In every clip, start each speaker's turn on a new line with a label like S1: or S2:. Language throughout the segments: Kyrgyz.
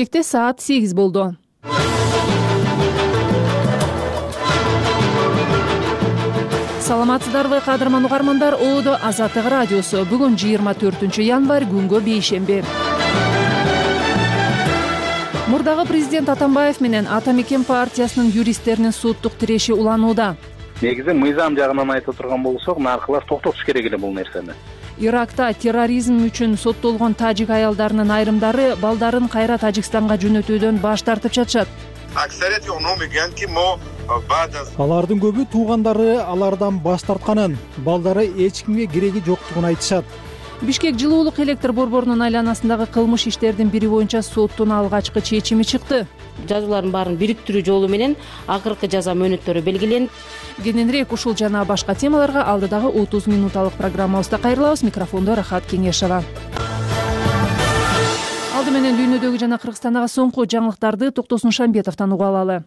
S1: Саат 8 болду. Саламатсыздарбы кадырман угармандар, ООД Азаттык радиосу. Бүгүн 24 январь, күнгө бейшемби. Мурдагы президент Атамбаев менен Ата Мекен партиясынын юристтеринин соттук тиреши уланууда.
S2: Негизи мыйзам жагынан айта турган болсок, наркылар токтотуш керек эле бул нерсени.
S1: Иракта терроризм үчүн соттолгон тажик аялдарынын айрымдары балдарын кайра Тажикстанга жөнөтүүдөн баш тартып жатышат.
S3: Алардын көбү туугандары алардан баш тартканын, балдары эч кимге кереги жоктугун айтышат.
S1: Бишкек жылуулук электр борборунун айланасындагы кылмыш иштердин бири боюнча соттун алгачкы чечими чыкты.
S4: Жазуулардын баарын бириктирүү жолу менен акыркы жаза мөөнөттөрү белгиленди.
S1: Кененирээк ушул жана башка темаларга алдыдагы 30 минуталык программабызда кайрылабыз. Микрофондо Рахат Кеңешова. Алды менен дүйнөдөгү жана Кыргызстандагы соңку жаңылыктарды Токтосун Шамбетовдон угуп алалы.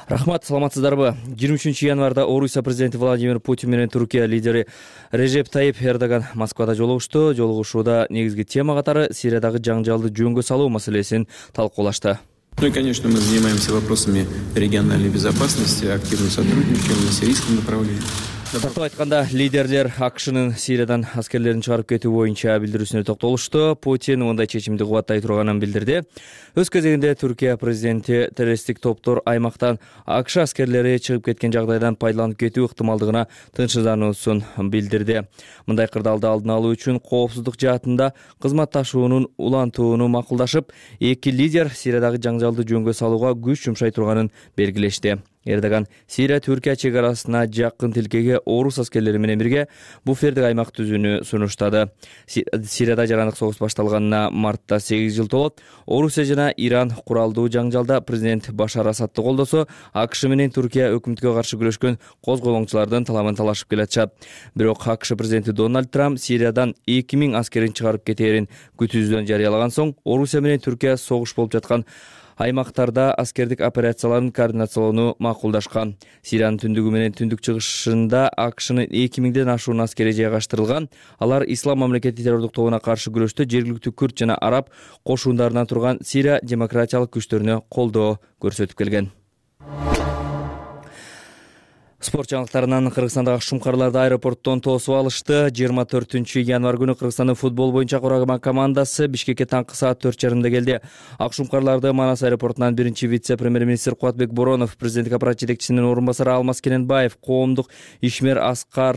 S5: Рахмат, саламатсыздарбы? 23 январда Орусия президенти Владимир Путин менен Туркия лидери Режеп Тайип Эрдоган Москвада жолугушту. Жолугушууда негизги тема катары Сириядагы жаңжалды жөнгө салуу маселесин талкуулашты.
S6: Ну и, конечно, мы занимаемся вопросами региональной безопасности, активно сотрудничаем на сирийском направлении.
S5: Тартып айтканда, лидерлер АКШнын Сириядан аскерлерин чыгарып кетүү боюнча билдирүүсүнө токтолушту. Путин мындай чечимди кубаттай турганын билдирди. Өз кезегинде Түркия президенти террористтик топтор аймактан АКШ аскерлери чыгып кеткен жагдайдан пайдаланып кетүү ыктымалдыгына тынчсыздануусун билдирди. Мындай кырдаалды алдын алуу үчүн коопсуздук жаатында кызматташуунун улантууну макулдашып, эки лидер Сириядагы жаңжалды жөнгө салууга күч жумшай турганын белгилешти. Эрдоган Сирия-Түркия чек арасына жакын тилкеге орус аскерлери менен бирге буфердик аймак түзүүнү сунуштады. Сирияда жарандык согуш башталганына мартта 8 жыл толот. Орусия жана Иран куралдуу жаңжалда президент Башар Асадты колдосо, АКШ менен Түркия өкмөткө каршы күрөшкөн козголоңчулардын талабын талашып келатышат. Бирок АКШ президенти Дональд Трамп Сириядан 2000 аскерин чыгарып кетээрин күтүүсүздөн жарыялаган соң, Орусия менен Түркия согуш болуп жаткан аймактарда аскердик операцияларын координациялоону макулдашкан. Сириянын түндүгү менен түндүк чыгышында АКШнын 2000ден ашуун аскери жайгаштырылган. Алар Ислам мамлекети террордук тобуна каршы күрөштө жергиликтүү күрд жана араб кошундарынан турган Сирия демократиялык күчтөрүнө колдоо көрсөтүп келген. Спорт жаңылыктарынан Кыргызстандагы шумкарларды аэропорттон тосуп алышты. 24 январь күнү Кыргызстандын футбол боюнча кураган командасы Бишкекке таңкы саат 4:30 келди. Ак шумкарларды Манас аэропортунан биринчи вице-премьер-министр Кубатбек Боронов, президенттик аппарат жетекчисинин орун басары Алмаз Кененбаев, коомдук ишмер Аскар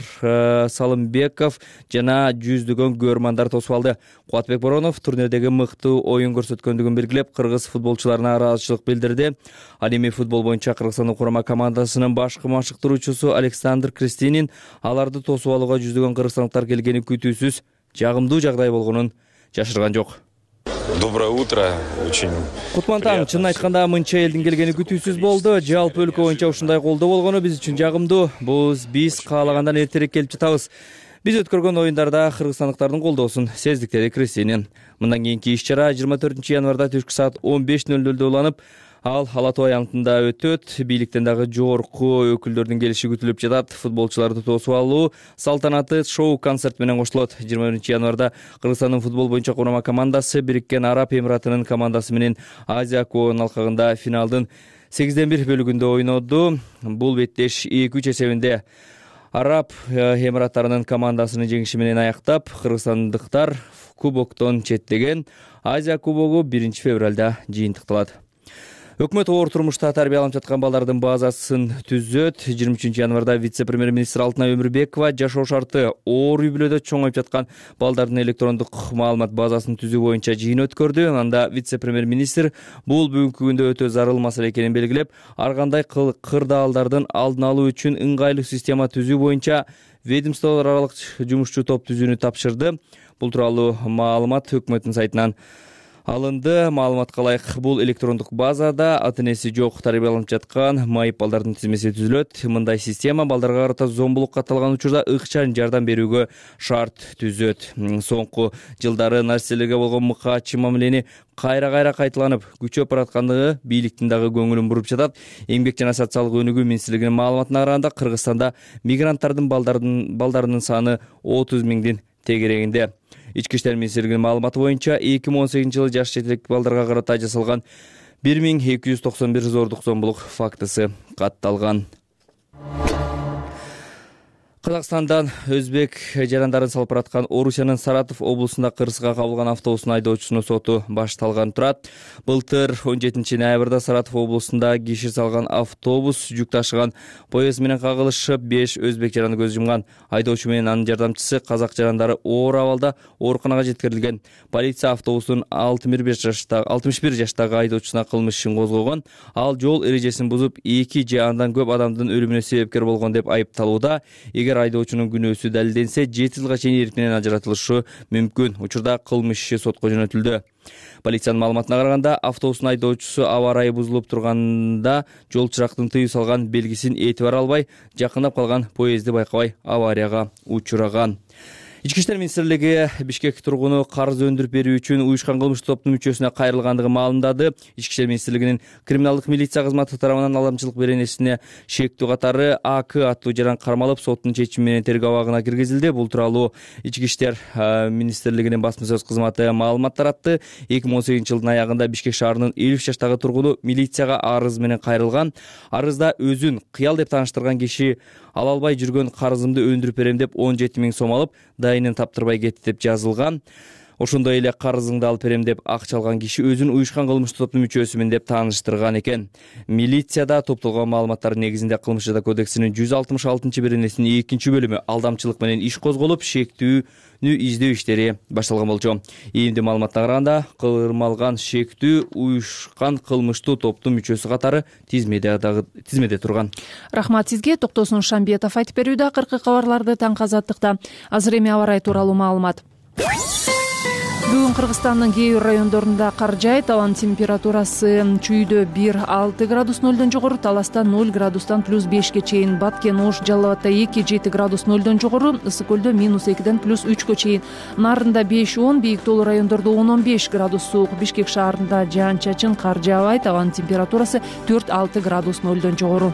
S5: Салымбеков жана жүздөгөн көрмандар тосуп алды. Кубатбек Боронов турнирдеги мыктуу оюн көрсөткөндүгүн белгилеп, кыргыз футболчуларына ыраазычылык билдирди. Ал эми футбол боюнча Кыргызстандын курама командасынын башкы машыктыруучусу Александр Кристинин аларды тосуп алууга жүздөгөн кыргызстандыктар келгени күтүүсүз жагымдуу жагдай болгонун жашырган жок.
S7: Доброе утро.
S5: Кутман таң, чынын айтканда мынча элдин келгени күтүүсүз болду. Жалпы өлкө боюнча ушундай колдоо болгону биз үчүн жагымдуу. Биз каалагандан эртерээк келип жатабыз. Биз өткөргөн оюндарда кыргызстандыктардын колдоосун сездик, деди Кристинин. Мындан кийинки иш-чара 24 январда түшкү саат 15:00 уланып, ал Ала Тоо аянтында өтөт. Бийликтен дагы жогорку өкүлдөрдүн келиши күтүлүп жатат. Футболчуларды тосуп алуу салтанаты шоу-концерт менен коштулот. 21 январда Кыргызстандын футбол боюнча курама командасы Бириккен Араб Эмиратынын командасы менен Азия Кубогунун алкагында финалдын 8-1 бөлүгүндө ойноду. Бул беттеш 2-3 эсебинде Араб Эмираттарынын командасынын жеңиши менен аяктап, кыргызстандыктар кубоктон четтеген. Азия Кубогу 1 февралда жыйынтыкталат. Өкмөт оор турмушта тарбияланып жаткан балдардын базасын түзөт. 23 январда вице-премьер-министр Алтынай Өмүрбекова жашоо шарты оор үй-бүлөдө чоңоюп жаткан балдардын электрондук маалымат базасын түзүү боюнча жыйын өткөрдү. Анда вице-премьер-министр бул бүгүнкү күндө өтө зарыл маселе экенин белгилеп, ар кандай кырдаалдардын алдын алуу үчүн ыңгайлуу система түзүү боюнча ведомстволор аралык жумушчу топ түзүүнү тапшырды. Бул тууралуу маалымат өкмөттүн сайтынан алынды. Маалыматка ылайык, бул электрондук базада ата-энеси жок тарбияланып жаткан майып балдардын тизмеси түзүлөт. Мындай система балдарга карата зомбулук катталган учурда ыкчам жардам берүүгө шарт түзөт. Соңку жылдары нарселерге болгон мыкаачы мамилени кайра кайталанып күчөп бараткандыгы бийликтин дагы көңүлүн буруп жатат. Эмгек жана социалдык өнүгүү министрлигинин маалыматына караганда Кыргызстанда мигранттардын балдарынын саны 30 миңдин тегерегинде. Ички иштер министрлигинин маалыматы боюнча 2018-жылы жаш жетелик балдарга карата жасалган 1291 зордук зомбулук фактысы катталган. Казакстандан өзбек жарандарын салпыраткан Орусиянын Саратов облусунда кырсыга кабылган автобустун айдоочусунун соту башталган турат. Былтыр 17-ноябрда Саратов облусунда киши салган автобус жүк ташыган поезд менен кагылышып 5 өзбек жараны көз жумган. Айдоочу менен анын жардамчысы казак жарандары оор абалда ооруканага жеткирилген. Полиция автобустун 61 жаштагы айдоочусуна кылмыш ишин козгогон. Ал жол эрежесин бузуп 2 же андан көп адамдын өлүмүнө себепкер болгон деп айыпталууда. Айдоочунун күнөөсү далилденсе 7 жылга чейин эрк менен ажыратылышы мүмкүн. Учурда кылмыш иши сотко жөнөтүлдү. Полициянын маалыматына караганда, автобустун айдоочусу аба ырайы бузулуп турганда жол чырактын тыюу салган белгисин этибар албай, жакындап калган поездди байкабай аварияга учураган. Ички иштер министрлиги Бишкек тургуну карыз өндүрүп берүү үчүн уюшкан кылмыштуу топтун мүчөсүнө кайрылгандыгын маалымдады. Ички иштер министрлигинин криминалдык милиция кызматы тарабынан алдамчылык беренесине шектүү катары АК аттуу жаран кармалып, соттун чечими менен тергөө абагына киргизилди. Бул тууралуу Ички иштер министрлигинин басма сөз кызматы маалымат таратты. 2018-жылдын аягында Бишкек шаарынын 53 жаштагы тургуну милицияга арыз менен кайрылган. Арызда өзүн кыял деп тааныштырган киши ала албай жүргөн карызымды өндүрүп берем деп 17 000 сом алып, дайынын таптырбай кетти деп жазылган. Ошондой эле карызыңды алып берем деп акча алган киши өзүн уюшкан кылмыштуу топтун мүчөсүмүн деп тааныштырган экен. Милицияда топтолгон маалыматтар негизинде Кылмыш жаза кодексинин 166-беренесинин 2-бөлүмү алдамчылык менен иш козголуп, шектүүнү издөө иштери башталган болчу. Ийимдүү маалыматка караганда, кырмалган шектүү уюшкан кылмыштуу топтун мүчөсү катары тизмеде турган.
S1: Рахмат сизге. Токтосун Шамбетов айтып берүүдө. Акыркы кабарларды таңкы азаттыкта. Азыр эми аба ырайы тууралуу маалымат. Бүгүн Кыргызстандын кээ бир райондорунда кар жаайт. Абанын температурасы Чүйдө 1-6 градус 0-дон жогору, Таласта 0 градустан +5ге чейин, Баткен, Ош, Жалал Абадта 2-7 градус 0-дон жогору, Ысык көлдө -2-ден +3га чейин, Нарында 5-10, бийик тоолуу райондордо 10-15 градус суук. Бишкек шаарында жаан-чачын, кар жаабайт. Абанын температурасы 4-6 градус 0-дон жогору.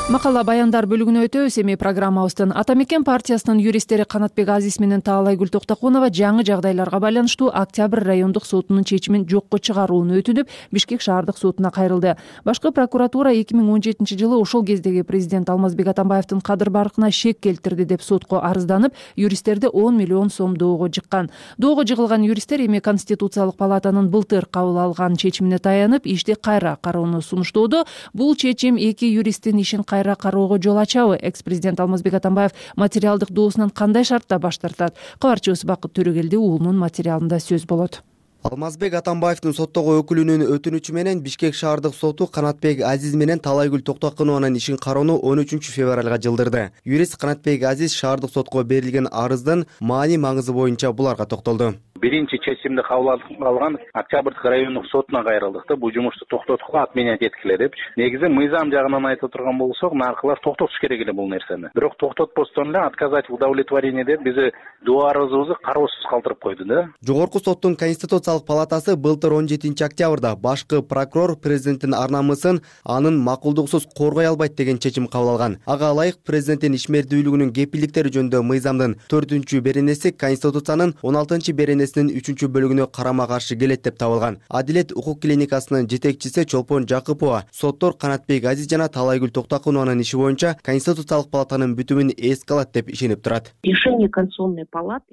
S1: Макала баяндар бөлүгүнө өтөбүз. Эми программабыздын Ата мекен партиясынын юристтери Канатбек Азиз менен Таалайгүл Токтокунова жаңы жагдайларга байланыштуу Октябрь райондук сотунун чечимин жокко чыгарууну өтүнүп, Бишкек шаардык сотуна кайрылды. Башкы прокуратура 2017-жылы ошол кездеги президент Алмазбек Атамбаевдин кадыр баркына шек келтирди деп сотко арызданып, юристтерди 10 миллион сом доого жыккан. Доого жыгылган юристтер эми Конституциялык палатанын былтыр кабыл алган чечимине таянып, ишти кайра кароону сунуштоодо. Бул чечим эки юристтин ишин кайра кароого жол ачабы? Экс-президент Алмазбек Атамбаев материалдык доосунан кандай шартта баш тартат? Кабарчыбыз Бакыт Төрөгелди уулунун материалында сөз болот.
S8: Алмазбек Атамбаевдин соттогу өкүлүнүн өтүнүчү менен Бишкек шаардык соту Канатбек Азиз менен Таалайгүл Токтокунованын ишин кароону 13-февралга жылдырды. Юрист Канатбек Азиз шаардык сотко берилген арыздын маани маңызы боюнча буларга токтолду.
S2: Биринчи чечимди кабыл алган Октябрдык райондук сотуна кайрылдык да, бул жумушту токтоткула от меня жеткиле. Негизи мыйзам жагынан айта турган болсок, наркылар токтотуш керек эле бул нерсени. Бирок токтотпостон эле отказать в удовлетворении деп бизи доо арызыбызды кароосуз калтырып койду да.
S8: Жогорку соттун Конституциялык палатасы былтыр 17-октябрда башкы прокурор президенттин ар намысын анын макулдуксуз коргой албайт деген чечим кабыл алган. Ага ылайык президенттин ишмердүүлүгүнүн кепилдиктери жөнүндө мыйзамдын 4-беренеси Конституциянын 16-беренесинин 3-бөлүгүнө карама каршы келет деп табылган. Адилет укук клиникасынын жетекчиси Чолпон Жакыпова соттор Канатбек Азиз жана Таалайгүл Токтокунованын иши боюнча Конституциялык палатанын бүтүмүн эске алат деп ишенип турат.
S9: Решение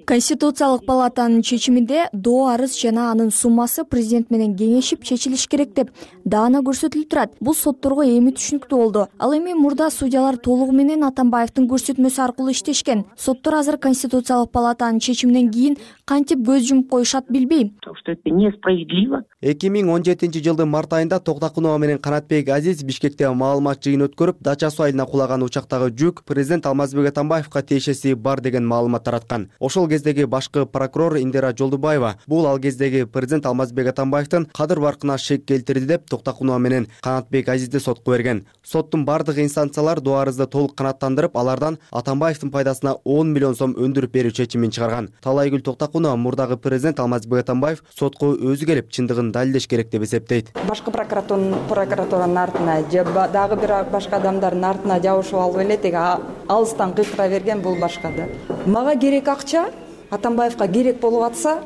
S9: Конституциялык палатанын чечиминде доо арыз жана анын суммасы президент менен кеңешип чечилиш керек деп даана көрсөтүлүп турат. Бул сотторго эми түшүнүктүү болду. Ал эми мурда судьялар толугу менен Атамбаевдин көрсөтмөсү аркылуу иштешкен. Соттор азыр Конституциялык палатанын чечиминен кийин кантип көз жумуп коюшат билбейм.
S8: 2017-жылдын март айында Токтокунова менен Канатбек Азиз Бишкекте маалымат жыйын өткөрүп, Дача суу айылына кулаган учактагы жүк президент Алмазбек Атамбаевка тиешеси бар деген маалымат тараткан. Ошол кездеги башкы прокурор Индира Жолдубаева бул ал кездеги президент Алмазбек Атамбаевдин кадыр баркына шек келтирди деп Токтокунова менен Канатбек Азизди сотко берген. Соттун бардык инстанциялар доо арызды толук канааттандырып, алардан Атамбаевдин пайдасына 10 миллион сом өндүрүп берүү чечимин чыгарган. Таалайгүл Токтокунова мурдагы Кыргызстандагы президент Алмазбек Атамбаев сотко өзү келип чындыгын далилдеш керек деп эсептейт.
S10: Башкы прокуратуранын артына же дагы бир башка адамдардын артына жабышып алып эле тиги алыстан кыйкыра берген бул башка да. Мага керек акча, Атамбаевка керек болуп атса,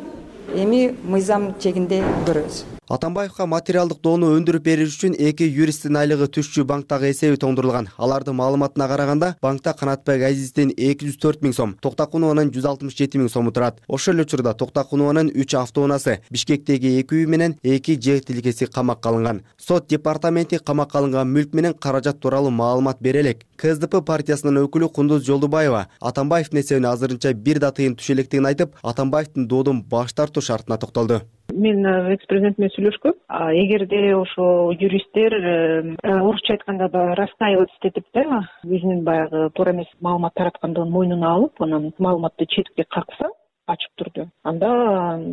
S10: эми мыйзам чегинде көрөбүз.
S8: Атамбаевка материалдык доону өндүрүп бериш үчүн 2 юристтин айлыгы түшчү банктагы эсеби тоңдурулган. Алардын маалыматына караганда, банкта Канатбек Азиздин 204 000 сом, Токтакунованын 167 000 сому турат. Ошол эле учурда Токтакунованын 3 автоунаасы, Бишкектеги 2 үй менен 2 жер тилкеси камакка алынган. Сот департаменти камакка алынган мүлк менен каражат тууралуу маалымат бере элек. КСДП партиясынын өкүлү Кундуз Жолдубаева Атамбаевдин эсебине азырынча бир да тыйын түшө электигин айтып, Атамбаевдин доодон баш тартуу шартына токтолду.
S11: Мен экс-президент менен сүйлөшкөм. Эгерде ошо юристтер орусча айтканда раскаиваться этип да, өзүнүн баягы туура эмес маалымат тараткандыгын мойнуна алып, анан маалыматты четке какса, ачык түрдө, анда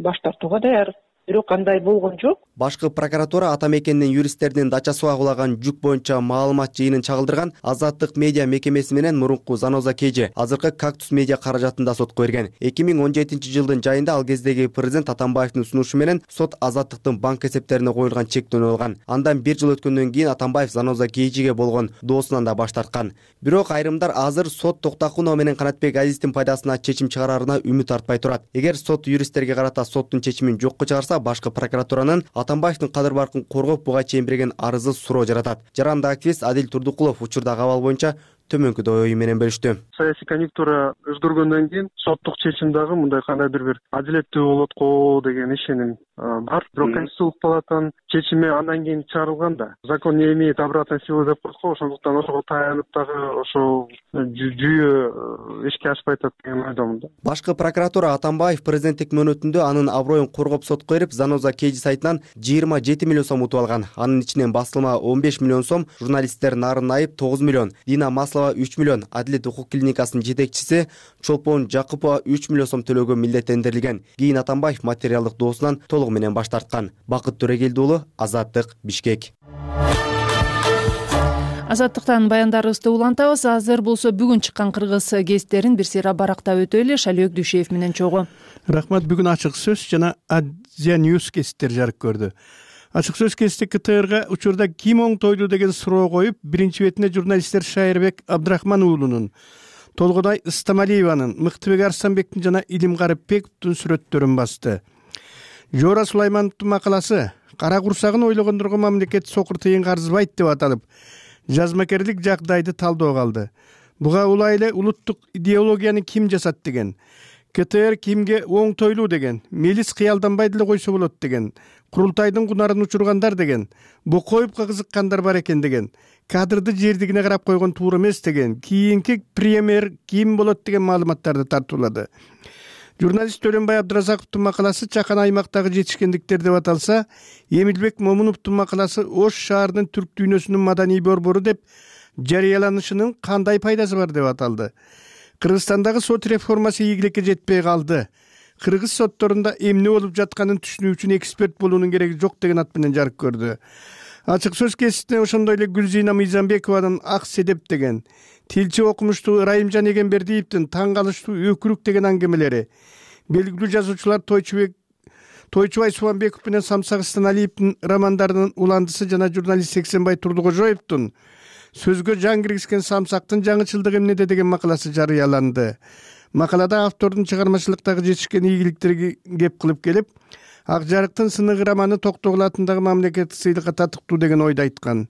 S11: баш тартууга даяр. Бирок андай болгон жок.
S8: Башкы прокуратура Атамекендин юристтеринин дачасына кулаган жүк боюнча маалымат жыйынын чагылдырган Азаттык медиа мекемеси менен мурунку Заноза KG, азыркы Кактус медиа каражатында сотко берген. 2017 жылдын жайында ал кездеги президент Атамбаевдин сунушу менен сот Азаттыктын банк эсептерине коюлган чектөөнү алган. Андан 1 жыл өткөндөн кийин Атамбаев Заноза KGге болгон доосунан да баш тарткан. Бирок айрымдар азыр сот Токтакунова менен Канатбек Азиздин пайдасына чечим чыгарарына үмүт артпай турат. Эгер сот юристтерге карата соттун чечимин жокко чыгарса, башкы прокуратуранын Атамбаевдин кадыр баркын коргоп буга чейин берген арызы суроо жаратат. Жарандык активист Адил Турдукулов учурдагы абал боюнча төмөнкү ою менен бөлүштү.
S12: Саясий конъюнктура өзгөргөндөн кийин соттук чечим дагы мындай кандайдыр бир адилеттүү болот го деген ишеним бар. Бирок Конституциялык палатанын чечими андан кийин чыгарылган да. Закон не имеет обратной силы деп коет го, ошондуктан ошого таянып дагы ошол жүйө ишке ашпай атат деген ойдомун да.
S8: Башкы прокуратура Атамбаев президенттик мөөнөтүндө анын аброюн коргоп сотко берип, Заноза KG сайтынан 27 миллион сом утуп алган. Анын ичинен басылма 15 миллион сом, журналисттер Нарын Айып 9 миллион, Дина 3 миллион, Адилет укук клиникасынын жетекчиси Чолпон Жакупова 3 миллион сом төлөөгө милдеттендирилген. Кийин Атамбаев материалдык доосунан толугу менен баш тарткан. Бакыт Төрегелди уулу, Азаттык, Бишкек.
S1: Азаттыктан баяндарыбызды улантабыз. Азыр болсо бүгүн чыккан кыргыз гезиттерин бир сыйра барактап өтөлү. Шалек Дүйшеев менен чогуу.
S13: Рахмат. Бүгүн ачык сөз жана Азия Ньюс гезиттери жарык көрдү. Ачык сөз гезити КТРга учурда ким оңтойлуу деген суроо коюп, биринчи бетине журналисттер Шайырбек Абдрахман уулунун, Толгодай Ыстамалиеванын, Мыктыбек Арстанбектин жана Илим Карыпбековдун сүрөттөрүн басты. Жора Сулаймановдун макаласы «Кара курсагын ойлогондорго мамлекет сокур тыйынга арзыбайт» деп аталып, жазмакерлик жагдайды талдоого алды. Буга улай эле улуттук идеологияны ким жасат деген, КТР кимге оңтойлуу деген, мелис кыялданбай деле койсо болот деген, курултайдын кунарын учургандар деген, Бокоевго кызыккандар бар экен деген, кадрды жердигине карап койгон туура эмес деген, кийинки премьер ким болот деген маалыматтарды тартуулады. Журналист Төлөнбай Абдыразаковдун макаласы «Чакан аймактагы жетишкендиктер» деп аталса, Эмилбек Момуновдун макаласы «Ош шаарынын түрк дүйнөсүнүн маданий борбору» деп жарыяланышынын кандай пайдасы бар деп аталды. Кыргызстандагы сот реформасы ийгиликке жетпей калды. Кыргыз сотторунда эмне болуп жатканын түшүнүү үчүн эксперт болуунун кереги жок деген ат менен жарык көрдү. Ачык сөз гезитине ошондой эле Гүлзина Мыйзамбекованын «Ак седеп» деген, тилчи окумуштуу Ырайымжан Эгембердиевдин «Таң калыштуу өкүрүк» деген аңгемелери, белгилүү жазуучулар Тойчубай Субанбеков менен Самсак Станалиевдин романдарынын уландысы жана журналист Сексенбай Турдукожоевдун «Сөзгө жан киргизген самсактын жаңычылдыгы эмнеде» деген макаласы жарыяланды. Макалада автордун чыгармачылыктагы жетишкен ийгиликтерге кеп кылып келип, Ак жарыктын сыныгы романы Токтогул атындагы мамлекеттик сыйлыкка татыктуу деген ойду айткан.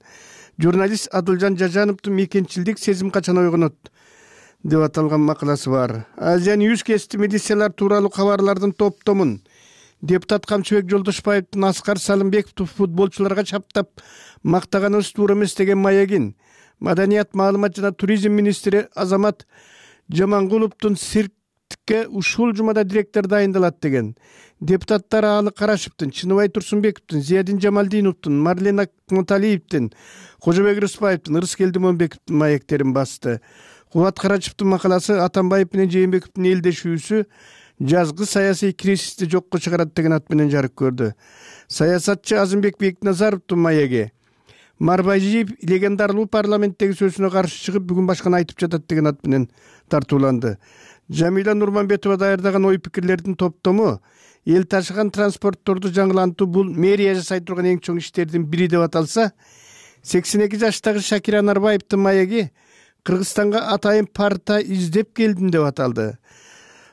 S13: Журналист Адылжан Жажановдун «Мекенчилдик сезим качан ойгонот» деп аталган макаласы бар. Азия Ньюс гезити милициялар тууралуу кабарлардын топтомун, депутат Камчыбек Жолдошбаевдин Аскар Салымбековду футболчуларга чаптап мактаганыбыз туура эмес деген маегин, Маданият, маалымат жана туризм министри Азамат Жамангуловдун циркке ушул жумада директор дайындалат деген, депутаттар Аалы Карашевдин, Чыныбай Турсунбековдун, Зиядин Жамалдиновдун, Марлена Кматалиевдин, Кожобек Рыспаевдин, Ырыскелди Момбековдун маектерин басты. Кубат Карачевдин макаласы Атамбаев менен Жээнбековдун элдешүүсү жазгы саясий кризисти жокко чыгарат деген ат менен жарык көрдү. Саясатчы Азымбек Бекназаровдун маеги Марбажиев легендардуу парламенттеги сөзүнө каршы чыгып, бүгүн башканы айтып жатат деген ат менен тартууланды. Жамиля Нурманбетова даярдаган ой пикирлердин топтому эл ташыган транспортторду жаңылантуу бул мэрия жасай турган эң чоң иштердин бири деп аталса, 82 жаштагы Шакир Анарбаевдин маеги Кыргызстанга атайын парта издеп келдим деп аталды.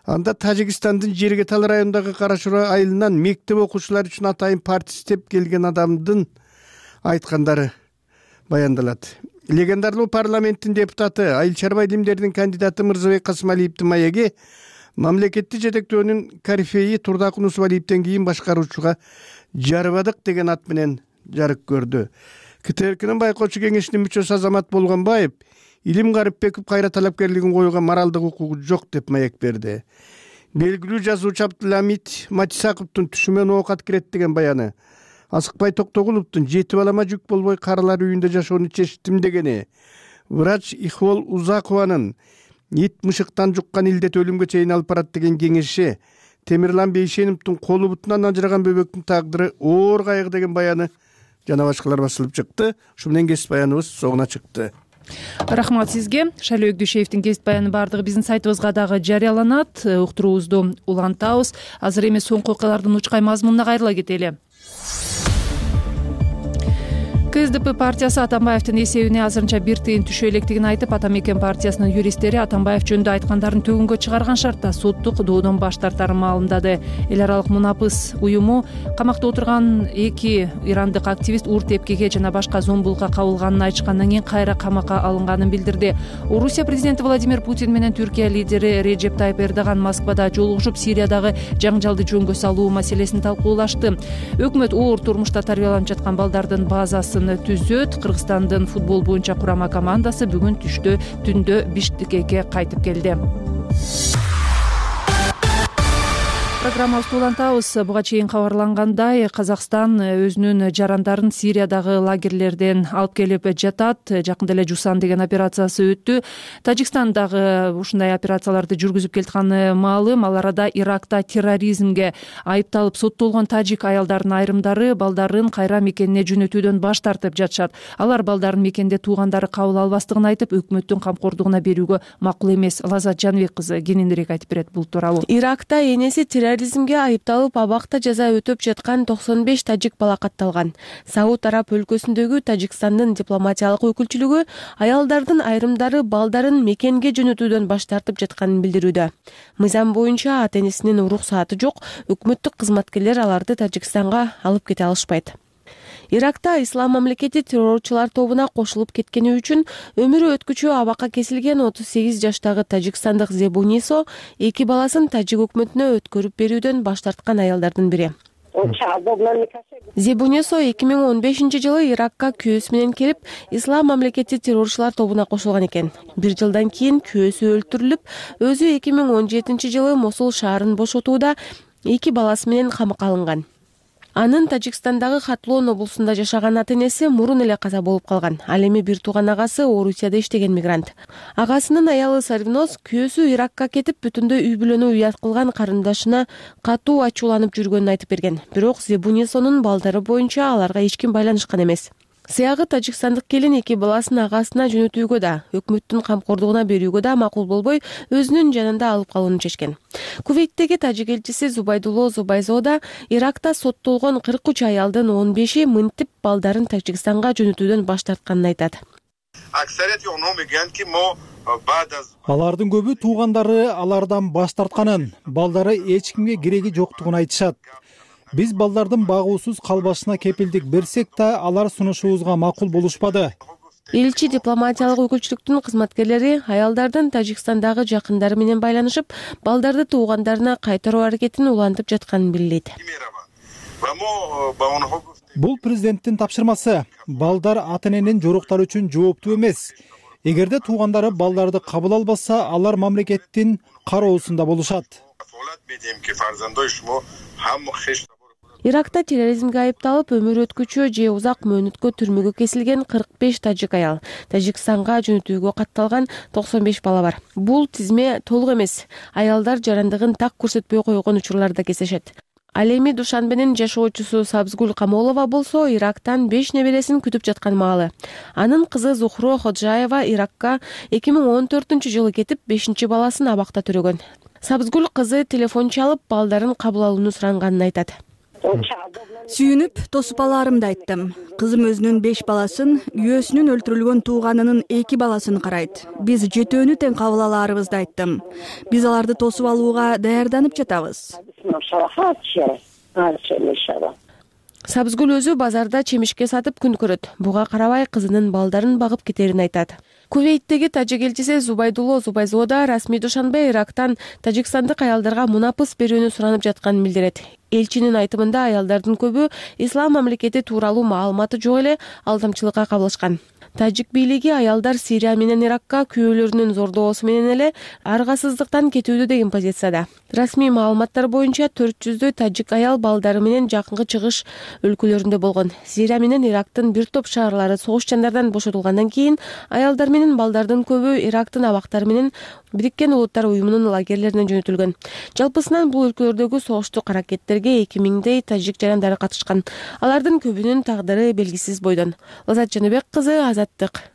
S13: Анда Тажикстандын Жергетал районундагы Карашура айылынан мектеп окуучулары үчүн атайын парта издеп келген адамдын айткандары баяндалат. Легендарлуу парламенттин депутаты, айыл чарба илимдеринин кандидаты Мырзабек Касымалиевдин маеги мамлекетти жетектөөнүн корифеи Турдакун Усубалиевден кийин башкаруучуга жарыбадык деген ат менен жарык көрдү. КТРКнын байкоочу кеңешинин мүчөсү Азамат Болгонбаев Илим Гарипбеков кайра талапкерлигин коюуга моралдык укугу жок деп маек берди. Белгилүү жазуучу Абдыламит Матисаковдун түшүмөн оокат кирет деген баяны, Асыкбай Токтогуловдун 7 балама жүк болбой каралар үйүндө жашоону чечтим дегени, врач Ихвол Узакованын ит мышыктан жуккан илдет өлүмгө чейин алып барат деген кеңеши, Темирлан Бейшеновдун колу бутунан ажыраган бөбөктүн тагдыры оор кайгы деген баяны жана башкалар басылып чыкты. Ушу менен кесип баяныбыз соңуна чыкты.
S1: Рахмат сизге. Шайлоо Өкдүшевдин кесип баяны бардыгы биздин сайтыбызга дагы жарыяланат. Уктуруубузду улантабыз. Азыр эми соңку окуялардын учкай мазмунуна кайрыла кетели. КСДП партиясы Атамбаевдин эсебине азырынча бир тыйын түшө электигин айтып, Атамекен партиясынын юристтери Атамбаев жөнүндө айткандарын төгүнгө чыгарган шартта соттук доодон баш тартарын маалымдады. Эл аралык Мунапыс уюму камакта отурган 2 ирандык активист уур тепкиге жана башка зомбулукка кабылганын айтышкандан кийин кайра камакка алынганын билдирди. Орусия президенти Владимир Путин менен Түркия лидери Реджеп Тайып Эрдоган Москвада жолугушуп, Сириядагы жаңжалды жөнгө салуу маселесин талкуулашты. Өкмөт оор турмушта тарбияланып жаткан балдардын базасын түзөт. Кыргызстандын футбол боюнча курама командасы бүгүн түндө Бишкекке кайтып келди. Программабызды улантабыз. Буга чейин кабарлангандай, Казакстан өзүнүн жарандарын Сириядагы лагерлерден алып келип жатат. Жакында эле Жусан деген операциясы өттү. Тажикстан дагы ушундай операцияларды жүргүзүп келатканы маалым. Ал арада Иракта терроризмге айыпталып соттолгон тажик аялдардын айрымдары балдарын кайра мекенине жөнөтүүдөн баш тартып жатышат. Алар балдарын мекенде туугандары кабыл албастыгын айтып, өкмөттүн камкордугуна берүүгө макул эмес. Лазат Жанбек кызы кененирээк айтып берет бул тууралуу.
S14: Иракта энеси терроризмге айыпталып абакта жаза өтөп жаткан 95 тажик бала катталган. Сауд Араб өлкөсүндөгү Тажикстандын дипломатиялык өкүлчүлүгү аялдардын айрымдары балдарын мекенге жөнөтүүдөн баш тартып жатканын билдирүүдө. Мыйзам боюнча ата-энесинин уруксааты жок, өкмөттүк кызматкерлер аларды Тажикстанга алып кете алышпайт. Иракта ислам мамлекети террорчулар тобуна кошулуп кеткени үчүн өмүрү өткүчү абакка кесилген 38 жаштагы тажикстандык Зебунисо 2 баласын тажик өкмөтүнө өткөрүп берүүдөн баш тарткан аялдардын бири. Зебунисо 2015 жылы Иракка күйөөсү менен келип, ислам мамлекети террорчулар тобуна кошулган экен. Бир жылдан кийин күйөөсү өлтүрүлүп, өзү 2017 жылы Мосул шаарын бошотууда 2 баласы менен камакка алынган. Анын Тажикстандагы Хатлон облусунда жашаган ата-энеси мурун эле каза болуп калган. Ал эми бир тууган агасы Орусияда иштеген мигрант. Агасынын аялы Сарвиноз күйөөсү Иракка кетип, бүтүндөй үй бүлөнү уят кылган карындашына катуу ачууланып жүргөнүн айтып берген. Бирок Зебунисонун балдары боюнча аларга эч ким байланышкан эмес. Сыягы тажикстандык келин 2 баласын агасына жөнөтүүгө да, өкмөттүн камкордугуна берүүгө да макул болбой, өзүнүн жанында алып калууну чечкен. Кувейттеги тажик элчиси Зубайдулло Зубайзода Иракта соттолгон 43 аялдын 15-и мынтип балдарын Тажикстанга жөнөтүүдөн баш тартканын айтат.
S3: Алардын көбү туугандары алардан баш тартканын, балдары эч кимге кереги жоктугун айтышат. Биз балдардын багуусуз калбашына кепилдик берсек да, алар сунушубузга макул болушпады.
S14: Элчи дипломатиялык өкүлчүлүктүн кызматкерлери аялдардын Тажикстандагы жакындары менен байланышып, балдарды туугандарына кайтаруу аракетин улантып жатканын билдирет.
S3: Бул президенттин тапшырмасы. Балдар ата-эненин жоруктары үчүн жооптуу эмес. Эгерде туугандары балдарды кабыл албаса, алар мамлекеттин кароосунда болушат.
S14: Иракта терроризмге айыпталып, өмүрү өткүчү же узак мөөнөткө түрмөгө кесилген 45 тажик аял, Тажикстанга жөнөтүүгө катталган 95 бала бар. Бул тизме толук эмес. Аялдар жарандыгын так көрсөтпөй койгон учурларда кездешет. Ал эми Душанбенин жашоочусу Сабзгул Камолова болсо Ирактан 5 небересин күтүп жаткан маалы. Анын кызы Зухро Ходжаева Иракка 2014 жылы кетип, 5-баласын абакта төрөгөн. Сабызгүл кызы телефон чалып балдарын кабыл алууну суранганын айтат.
S15: Сүйүнүп, тосуп алаарымды айттым. Кызым өзүнүн 5 баласын, күйөөсүнүн өлтүрүлгөн тууганынын 2 баласын карайт. Биз жетөөнү тең кабыл алаарыбызды айттым. Биз аларды тосуп алууга даярданып жатабыз.
S14: Сабызгүл өзү базарда чемишке сатып күн көрөт. Буга карабай кызынын балдарын багып кетерин айтат. Кувейттеги тажик элчиси Зубайдулло Зубайзоо да расмий душанбе Ирактан тажикстандык аялдарга мунапыс берүүнү суранып жатканын билдирет. Элчинин айтымында аялдардын көбү ислам мамлекети тууралуу маалыматы жок эле алдамчылыкка кабылышкан. Тажик бийлиги аялдар Сирия менен Иракка күйөөлөрүнүн зордоосу менен эле аргасыздыктан кетүүдө деген позицияда. Расмий маалыматтар боюнча 400дөй тажик аял балдары менен жакынкы чыгыш өлкөлөрүндө болгон. Сирия менен Ирактын бир топ шаарлары согуш жандардан бошотулгандан кийин аялдар менен балдардын көбү Ирактын абактары менен Бириккен Улуттар уюмунун лагерлерине жөнөтүлгөн. Жалпысынан бул өлкөлөрдөгү согуштук аракеттерге 2000дей тажик жарандары катышкан. Алардын көбүнүн тагдыры белгисиз бойдон. Лазат Жаныбек кызы, Азаттык.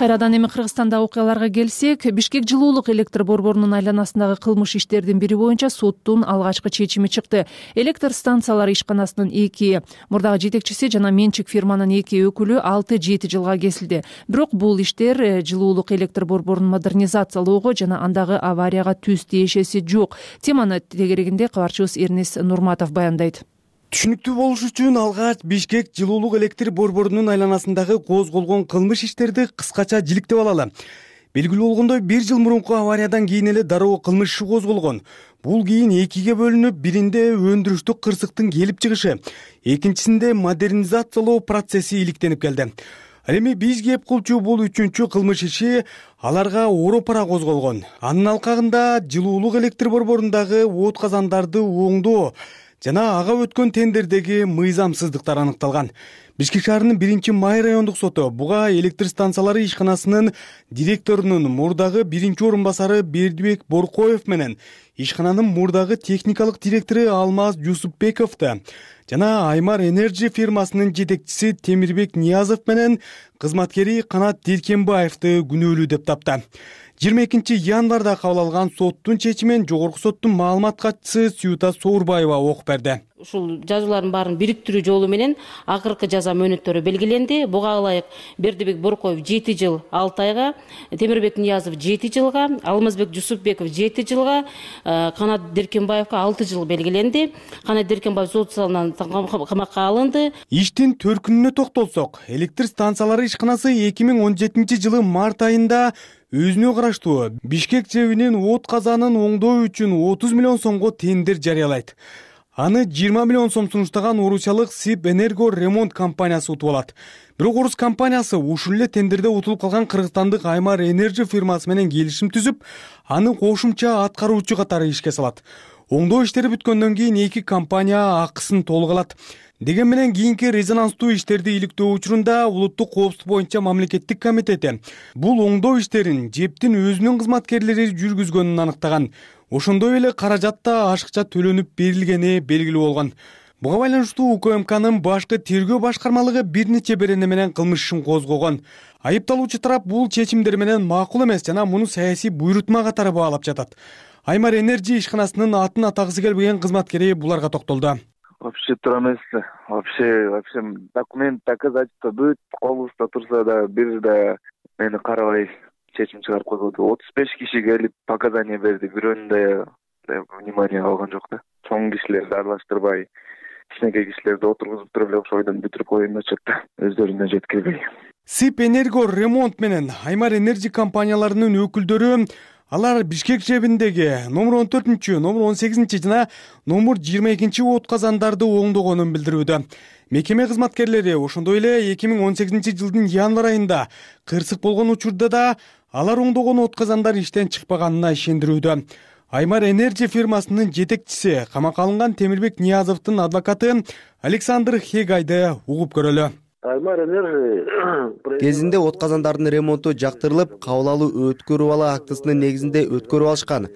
S1: Кайрадан эми Кыргызстандагы окуяларга келсек, Бишкек жылуулук электр борборунун айланасындагы кылмыш иштердин бири боюнча соттун алгачкы чечими чыкты. Электр станциялары ишканасынын 2 мурдагы жетекчиси жана менчик фирманын 2 өкүлү 6-7 жылга кесилди. Бирок бул иштер жылуулук электр борборун модернизациялоого жана андагы аварияга түз тиешеси жок. Теманы тегерегинде кабарчыбыз Эрнис Нурматов баяндайт.
S16: Түшүнүктүү болуш үчүн алгач Бишкек жылуулук электр борборунун айланасындагы козголгон кылмыш иштерди кыскача жиликтеп алалы. Белгилүү болгондой, 1 жыл мурунку авариядан кийин эле дароо кылмыш иши козголгон. Бул кийин 2ге бөлүнүп, биринде өндүрүштүк кырсыктын келип чыгышы, экинчисинде модернизациялоо процесси иликтенип келди. Ал эми биз кеп кылчу бул 3-чү кылмыш иши аларга оропара козголгон. Анын алкагында жылуулук электр борборундагы от казандарды оңдоо жана ага өткөн тендердеги мыйзамсыздыктар аныкталган. Бишкек шаарынын 1-май райондук соту буга электр станциялары ишканасынын директорунун мурдагы 1-орун басары Бердибек Боркоев менен ишкананын мурдагы техникалык директору Алмаз Жусупбековду жана Аймар Энерджи фирмасынын жетекчиси Темирбек Ниязов менен кызматкери Канат Деркенбаевди күнөөлүү деп тапты. 22 январда кабыл алган соттун чечимин жогорку соттун маалымат катчысы Сюта Соорбаева окуп берди.
S4: Ушул жазуулардын баарын бириктирүү жолу менен акыркы жаза мөөнөттөрү белгиленди. Буга ылайык Бердибек Боркоев 7 жыл 6 айга, Темирбек Ниязов 7 жылга, Алмазбек Жусупбеков 7 жылга, Канат Деркенбаевга 6 жыл белгиленди. Канат Деркенбаев сот залынан камакка алынды.
S16: Иштин төркүнүнө токтолсок, электр станциялары ишканасы 2017 жылы март айында өзүнө караштуу Бишкек ЖЭБинин от казанын оңдоо үчүн 30 миллион сомго тендер жарыялайт. Аны 20 миллион сом сунуштаган орусиялык СИП Энерго ремонт компаниясы утуп алат. Бирок орус компаниясы ушул эле тендерде утулуп калган кыргызстандык Аймар Энерджи фирмасы менен келишим түзүп, аны кошумча аткаруучу катары ишке салат. Оңдоо иштери бүткөндөн кийин 2 компания акысын толук алат. Деген менен кийинки резонанстуу иштерди иликтөө учурунда улуттук коопсуздук боюнча мамлекеттик комитети бул оңдоо иштерин ЖЭБтин өзүнүн кызматкерлери жүргүзгөнүн аныктаган. Ошондой эле каражат да ашыкча төлөнүп берилгени белгилүү болгон. Буга байланыштуу УКМКнын башкы тергөө башкармалыгы бир нече берене менен кылмыш ишин козгогон. Айыпталуучу тарап бул чечимдер менен макул эмес жана муну саясий буйрутма катары баалап жатат. Аймар Энерджи ишканасынын атын атагысы келбеген кызматкери буларга токтолду.
S17: Вообще тура эмес. Вообще документ доказательство бүт колубузда турса да бир да мени карабай чечим чыгарып койбоду. 35 киши келип показания берди, бирөөнү да внимание алган жок да. Чоң кишилерди аралаштырбай, кичинекей кишилерди отургузуп туруп эле ошол бойдон бүтүрүп коюн дечет да, өздөрүнө жеткирбей.
S16: СИП Энерго ремонт менен Аймар Энерджи компанияларынын өкүлдөрү алар Бишкек ЖЭБиндеги номер 14, номер 18 жана номер 22 от казандарды оңдогонун билдирүүдө. Мекеме кызматкерлери ошондой эле 2018 жылдын январ айында кырсык болгон учурда да алар оңдогон от казандар иштен чыкпаганына ишендирүүдө. Аймар Энерджи фирмасынын жетекчиси камакка алынган Темирбек Ниязовдун адвокаты Александр Хегайды угуп көрөлү.
S8: Кезинде от казандардын ремонту жактырылып, кабыл алуу өткөрүп ала актысынын негизинде өткөрүп алышкан.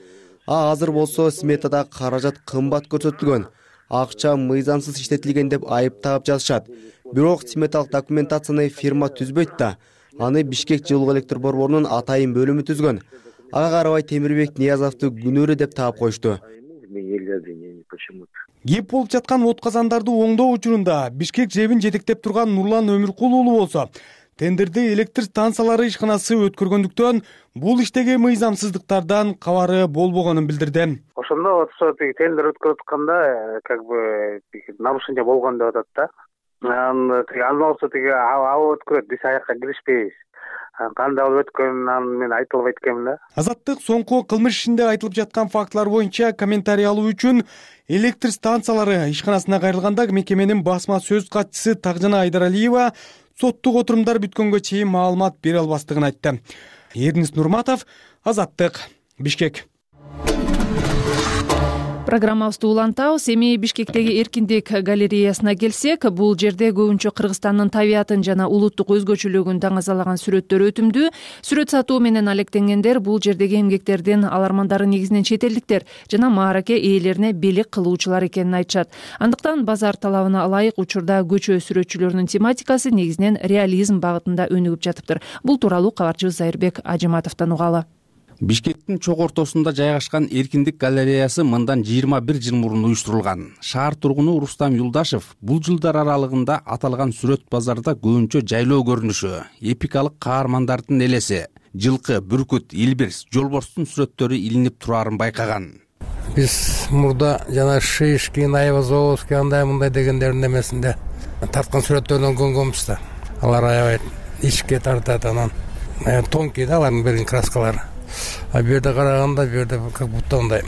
S8: Азыр болсо сметада каражат кымбат көрсөтүлгөн. Акча мыйзамсыз иштетилген деп айыптап жазышат. Бирок сметалык документацияны фирма түзбөйт да. Аны Бишкек жылуу электр борборунун атайын бөлүмү түзгөн. Ага карабай Темирбек Ниязовду күнөөрү деп таап коюшту.
S16: Кеп болуп жаткан от казандарды оңдоо учурунда Бишкек ЖЭБин жетектеп турган Нурлан Өмүркул уулу болсо, тендерде электр станциялары ишканасы өткөргөндүктөн бул иштеги мыйзамсыздыктардан кабары болбогонун билдирди.
S18: Ошондо тендер өткөрүп атканда нарушение болгон деп атат да. Андан болсо аба өткөрөт, биз аяка киришпейбиз. Кандай болуп өткөнүн аны мен айта албайт экенмин да.
S16: Азаттык соңку кылмыш ишинде айтылып жаткан фактылар боюнча комментарий алуу үчүн электр станциялары ишканасына кайрылганда мекеменин басма сөз катчысы Тагжана Айдаралиева соттук отурумдар бүткөнгө чейин маалымат бере албастыгын айтты. Эрнис Нурматов, Азаттык, Бишкек.
S1: Программабызды улантабыз. Эми Бишкектеги Эркиндик галереясына келсек, бул жерде көбүнчө Кыргызстандын табиятын жана улуттук өзгөчөлүгүн даңазалаган сүрөттөр өтүмдүү. Сүрөт сатуу менен алектенгендер бул жердеги эмгектердин алармандары негизинен чет элдиктер жана маараке ээлерине белек кылуучулар экенин айтышат. Андыктан базар талабына ылайык учурда көчө сүрөтчүлөрүнүн тематикасы негизинен реализм багытында өнүгүп жатыптыр. Бул тууралуу кабарчыбыз Зайырбек Ажыматовдон угалы.
S19: Бишкектин чок ортосунда жайгашкан Эркиндик галереясы мындан 21 жыл мурун уюштурулган. Шаар тургуну Рустам Юлдашев бул жылдар аралыгында аталган сүрөт базарда көбүнчө жайлоо көрүнүшү, эпикалык каармандардын элеси, жылкы, бүркүт, илбирс, жолборстун сүрөттөрү илинип турарын байкаган.
S20: Биз мурда жана Шишкин, Айвазовский андай мындай дегендердин эмесинде тарткан сүрөттөрдөн көнгөнбүз да. Алар аябай ичке тартат, анан тонкий да алардын берген краскалары. А бу жерде караганда, бу жерде как будто мындай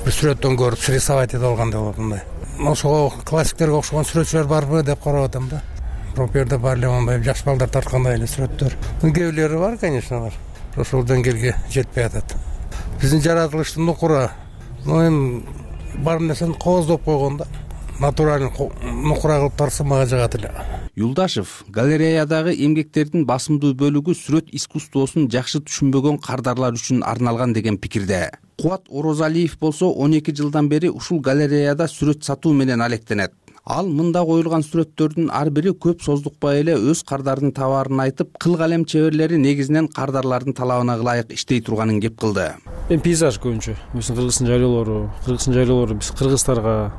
S20: бир сүрөттөн көрүп срисовать этип алгандай болот мындай. Ошого классиктерге окшогон сүрөтчүлөр барбы деп карап атам да. Бирок бу жерде бар эле мындай жаш балдар тарткандай эле сүрөттөр. Кээ бирлери бар, конечно, алар ошол деңгээлге жетпей атат. Биздин жаратылыштын нукура, эми бар нерсени кооздоп койгон да. Натуралдын нукура кылып тарса мага жагат эле.
S19: Юлдашев галереядагы эмгектердин басымдуу бөлүгү сүрөт искусствосун жакшы түшүнбөгөн кардарлар үчүн арналган деген пикирде. Кубат Орозалиев болсо 12 жылдан бери ушул галереяда сүрөт сатуу менен алектенет. Ал мында коюлган сүрөттөрдүн ар бири көп создукпай эле өз кардардын табаарын айтып, кыл калем чеберлери негизинен кардарлардын талабына ылайык иштей турганын кеп кылды.
S21: Пейзаж көбүнчө, Кыргыздын жайлоолору биз кыргыздарга,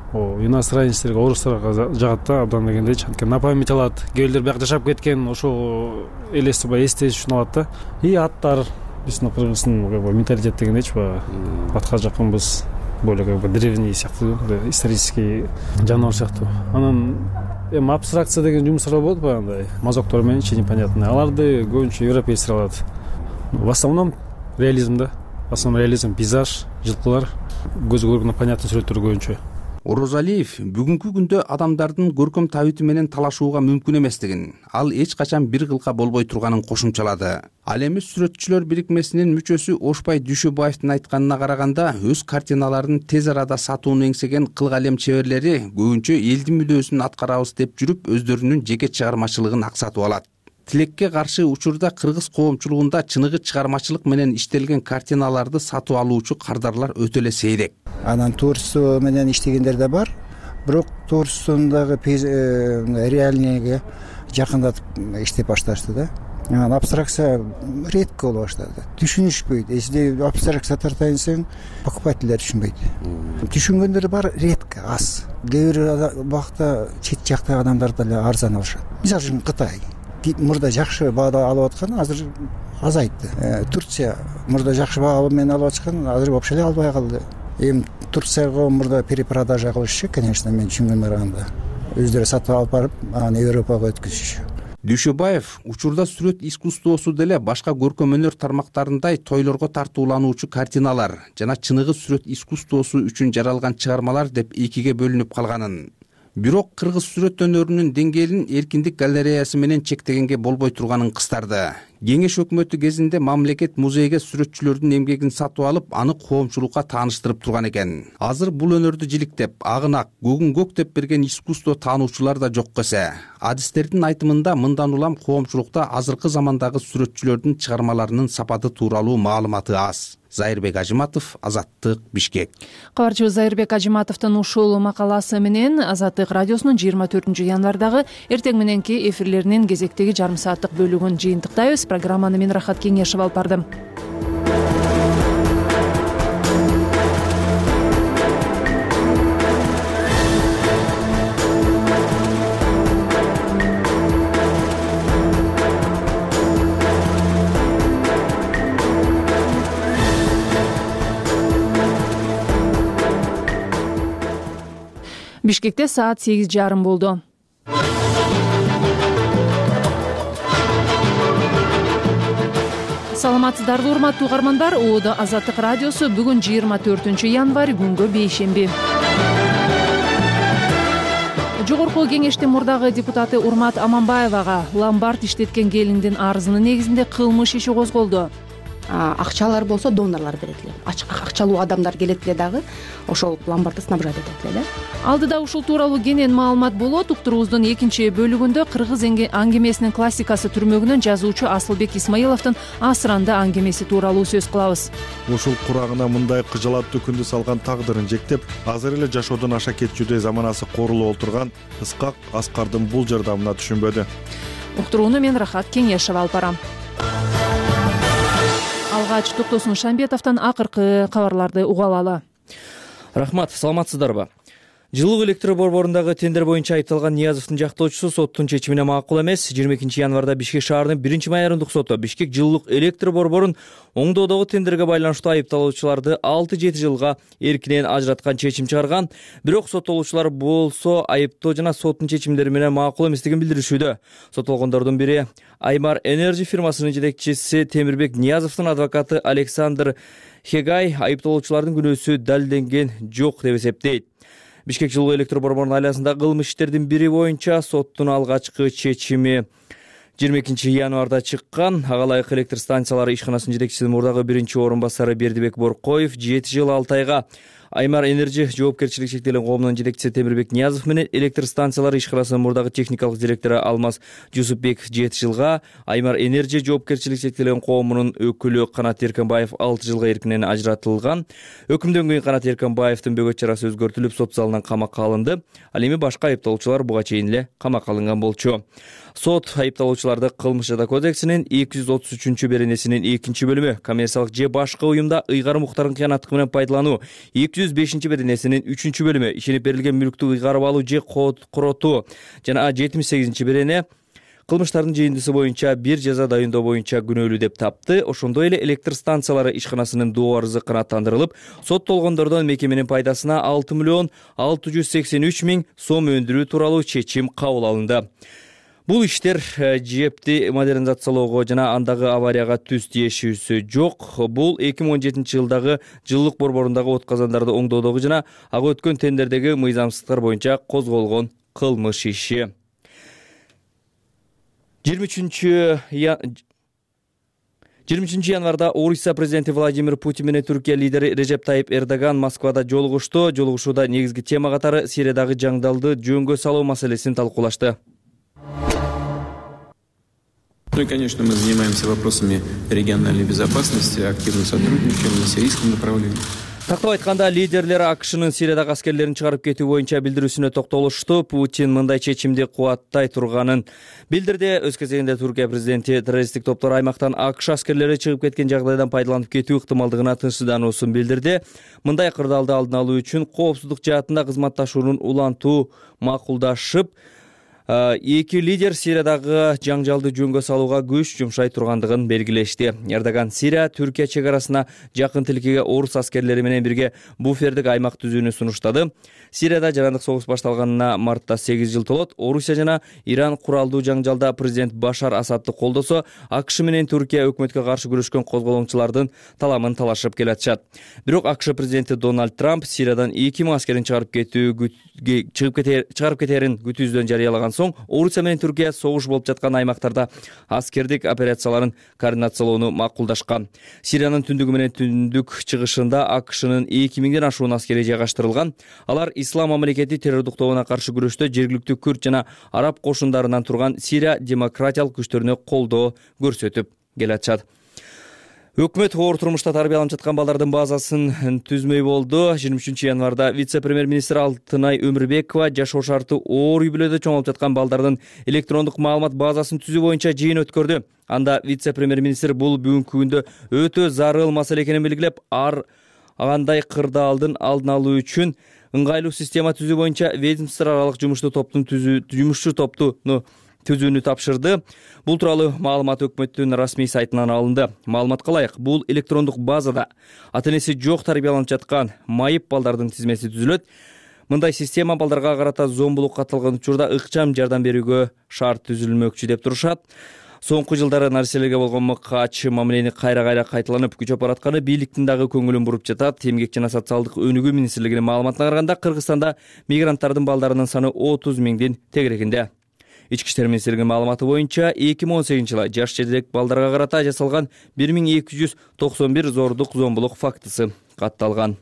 S21: иностранецтерге, орустарга жагат да, абдан дегендейчи. Анткени на память алат. Кээбирлер бияк жашап кеткен, ошол элестирбай эстеш үчүн алат да. И аттар биздин кыргыздын менталитет дегендейчи, атка жакынбыз. Более древний сыяктуу, исторический жаныбар сыяктуу. Анан абстракция деген жумуштар болот баягындай, мазоктор менен непонятный. Аларды көбүнчө европейцтер алат. В основном реализм да. В основном реализм, пейзаж, жылкылар, көзгө көргөндө понятный сүрөттөр көбүнчө.
S19: Орозалиев бүгүнкү күндө адамдардын көркөм табити менен талашууга мүмкүн эместигин, ал эч качан бир кылка болбой турганын кошумчалады. Ал эми сүрөтчүлөр бирикмесинин мүчөсү Ошпай Дүйшөбаевдин айтканына караганда, өз картиналарын тез арада сатууну эңсеген кыл калем чеберлери көбүнчө элдин мүдөөсүн аткарабыз деп жүрүп, өздөрүнүн жеке чыгармачылыгын аксатып алат. Тилекке каршы учурда кыргыз коомчулугунда чыныгы чыгармачылык менен иштелген картиналарды сатып алуучу кардарлар өтө эле сейрек.
S22: Анан творчество менен иштегендер да бар, бирок творчествондагы реальныйга жакындатып иштеп башташты да. Анан абстракция редко боло баштады. Түшүнүшпөйт. Эсиде абстракция тартайын десең, покупательдер түшүнбөйт. Түшүнгөндөр бар, редко, аз. Кээ бир убакта чет жактагы адамдар деле арзан алышат. Мисалы үчүн Кытай мурда жакшы баада алып аткан, азыр азайтты. Турция мурда жакшы баа менен алып аткан, азыр вообще эле албай калды. Эми Турцияга мурда перепродажа кылышчу, конечно, мен түшүнгөнүм караганда. Өздөрү сатып алып барып, аны Европага өткөзүшчү.
S19: Дүйшөбаев учурда сүрөт искусствосу деле башка көркөм өнөр тармактарындай тойлорго тартуулануучу картиналар жана чыныгы сүрөт искусствосу үчүн жаралган чыгармалар деп экиге бөлүнүп калганын. Бирок кыргыз сүрөт өнөрүнүн деңгээлин Эркиндик галереясы менен чектегенге болбой турганын кыстарды. Кеңеш өкмөтү кезинде мамлекет музейге сүрөтчүлөрдүн эмгегин сатып алып, аны коомчулукка тааныштырып турган экен. Азыр бул өнөрдү жиликтеп, агын ак, көгүн көк деп берген искусство таануучулар да жок эсе. Адистердин айтымында мындан улам коомчулукта азыркы замандагы сүрөтчүлөрдүн чыгармаларынын сапаты тууралуу маалыматы аз. Зайырбек Ажиматов, Азаттык, Бишкек.
S1: Кабарчыбыз Зайырбек Ажиматовдун ушул макаласы менен Азаттык радиосунун 24 январдагы эртең мененки эфирлеринин кезектеги жарым сааттык бөлүгүн жыйынтыктайбыз. Программаны мен Рахат Кеңешев алып бардым. Бишкекте саат 8:30 болду. Саламатсыздарбы, урматтуу угармандар. ООД Азаттык радиосу бүгүн 24 январь күнгө бейшемби. Жогорку кеңештин мурдагы депутаты Урмат Аманбаевага ломбард иштеткен келиндин арызынын негизинде кылмыш иши козголду.
S6: Акчалар болсо донорлор берет эле. Акчалуу адамдар келет эле дагы ошол ломбардды снабжать этет эле.
S1: Алдыда ушул тууралуу кенен маалымат болот. Уктуруубуздун экинчи бөлүгүндө кыргыз аңгемесинин классикасы түрмөгүнөн жазуучу Асылбек Исмаиловдун Асыранды аңгемеси тууралуу сөз кылабыз.
S7: Ушул курагына мындай кыжалаттуу күндү салган тагдырын жектеп, азыр эле жашоодон аша кетчүдөй заманасы корулуп отурган Ысқақ Аскардын бул жардамына түшүнбөдү.
S1: Уктурууну мен Рахат Кеңешев алып барам. Алгач Токтосун Шамбетовдон акыркы кабарларды уга алалы.
S5: Рахмат, саламатсыздарбы? Жылуу электр борборундагы тендер боюнча айыпталган Ниязовдун жактоочусу соттун чечимине макул эмес. 22 январда Бишкек шаарынын 1 майордук соту Бишкек жылуулук электр борборун оңдоодогу тендерге байланыштуу айыпталуучуларды 6-7 жылга эркинен ажыраткан чечим чыгарган. Бирок соттолуучулар болсо айыптоо жана соттун чечимдери менен макул эместигин билдиришүүдө. Соттолгондордун бири Аймар Энерджи фирмасынын жетекчиси Темирбек Ниязовдун адвокаты Александр Хегай айыпталуучулардын күнөөсү далилденген жок деп эсептейт. Бишкек жылуу электр борборунун айласындагы кылмыш иштердин бири боюнча соттун алгачкы чечими 22 январда чыккан. Ага ылайык электр станциялары ишканасынын жетекчисинин мурдагы биринчи орун басары Бердибек Боркоев 7 жыл 6 айга, Аймар Энерджи жоопкерчилиги чектелген коомунун жетекчиси Темирбек Ниязов менен электр станциялары ишканасынын мурдагы техникалык директору Алмаз Жусупбеков 7 жылга, Аймар Энерджи жоопкерчилиги чектелген коомунун өкүлү Канат Эркенбаев 6 жылга эркинен ажыратылган. Өкүмдөн кийин Канат Эркенбаевдин бөгөт чарасы өзгөртүлүп, сот залынан камакка алынды. Ал эми башка айыпталуучулар буга чейин эле камакка алынган болчу. Сот айыпталуучуларды Кылмыш жада кодексинин 233-беренесинин 2-бөлүмү коммерциялык же башка уюмда ыйгарым укуктарын кыянаттык менен пайдалануу, 205-беренесинин 3-бөлүмү ишенип берилген мүлктү ыйгарып алуу же коротуу жана 78-берене кылмыштардын жыйындысы боюнча бир жаза дайындоо боюнча күнөөлүү деп тапты. Ошондой эле электр станциялары ишканасынын доо арызы канааттандырылып, соттолгондордон мекеменин пайдасына 6,683,000 сом өндүрүү тууралуу чечим кабыл алынды. Бул иштер жепти модернизациялоого жана андагы аварияга түз тиешүүсү жок. Бул 2017 жылдагы жылуулук борборундагы отказандарды оңдоодогу жана ага өткөн тендердеги мыйзамсыздыктар боюнча козголгон кылмыш иши. 23 январда Орусия президенти Владимир Путин менен Түркия лидери Режеп Тайип Эрдоган Москвада жолугушту. Жолугушууда негизги тема катары Сириядагы жаңдалды жөнгө салуу маселесин талкуулашты.
S23: Ну и, конечно, мы занимаемся вопросами региональной безопасности, активно сотрудничаем на сирийском направлении.
S5: Тактап айтканда, лидерлер АКШнын Сириядагы аскерлерин чыгарып кетүү боюнча билдирүүсүнө токтолушту. Путин мындай чечимди кубаттай турганын билдирди. Өз кезегинде Түркия президенти террористтик топтор аймактан АКШ аскерлери чыгып кеткен жагдайдан пайдаланып кетүү ыктымалдыгына тынчсыздануусун билдирди. Мындай кырдаалды алдын алуу үчүн коопсуздук жаатында кызматташууну улантуу макулдашып, эки лидер Сириядагы жаңжалды жөнгө салууга күч жумшай тургандыгын белгилешти. Эрдоган Сирия Түркия чек арасына жакын тилкеге орус аскерлери менен бирге буфердик аймак түзүүнү сунуштады. Сирияда жарандык согуш башталганына мартта 8 жыл толот. Орусия жана Иран куралдуу жаңжалда президент Башар Асадты колдосо, АКШ менен Түркия өкмөткө каршы күрөшкөн козголоңчулардын таламын талашып келатышат. Бирок АКШ президенти Дональд Трамп Сириядан 2000 аскерин чыгарып кетерин күтүүсүздөн жарыялаган соң Орусия менен Түркия согуш болуп жаткан аймактарда аскердик операцияларын координациялоону макулдашкан. Сириянын түндүгү менен түндүк чыгышында АКШнын 2000ден ашуун аскери жайгаштырылган. Алар Ислам мамлекети террордук тобуна каршы күрөштө жергиликтүү күрд жана араб кошундарынан турган Сирия демократиялык күчтөрүнө колдоо көрсөтүп келатышат. Өкмөт оор турмушта тарбияланып жаткан балдардын базасын түзмөй болду. 23 январда вице-премьер-министр Алтынай Өмүрбекова жашоо шарты оор үй бүлөдө чоңолуп жаткан балдардын электрондук маалымат базасын түзүү боюнча жыйын өткөрдү. Анда вице-премьер-министр бул бүгүнкү күндө өтө зарыл маселе экенин белгилеп, андай кырдаалдын алдын алуу үчүн ыңгайлуу система түзүү боюнча ведомство аралык жумуштуу топтуну түзүүнү тапшырды. Бул тууралуу маалымат өкмөттүн расмий сайтынан алынды. Маалыматка ылайык, бул электрондук базада ата-энеси жок тарбияланып жаткан майып балдардын тизмеси түзүлөт. Мындай система балдарга карата зомбулукка катталган учурда ыкчам жардам берүүгө шарт түзүлмөкчү деп турушат. Соңку жылдары нарселерге болгон мыкач мамилени кайра кайталанып күчөп баратканы бийликтин дагы көңүлүн буруп жатат. Эмгек жана социалдык өнүгүү министрлигинин маалыматына караганда, Кыргызстанда мигранттардын балдарынын саны 30 миңдин тегерегинде. Ички иштер министрлигинин маалыматы боюнча 2018 жылы жаш жетек балдарга карата жасалган 1291 зордук зомбулук фактысы катталган.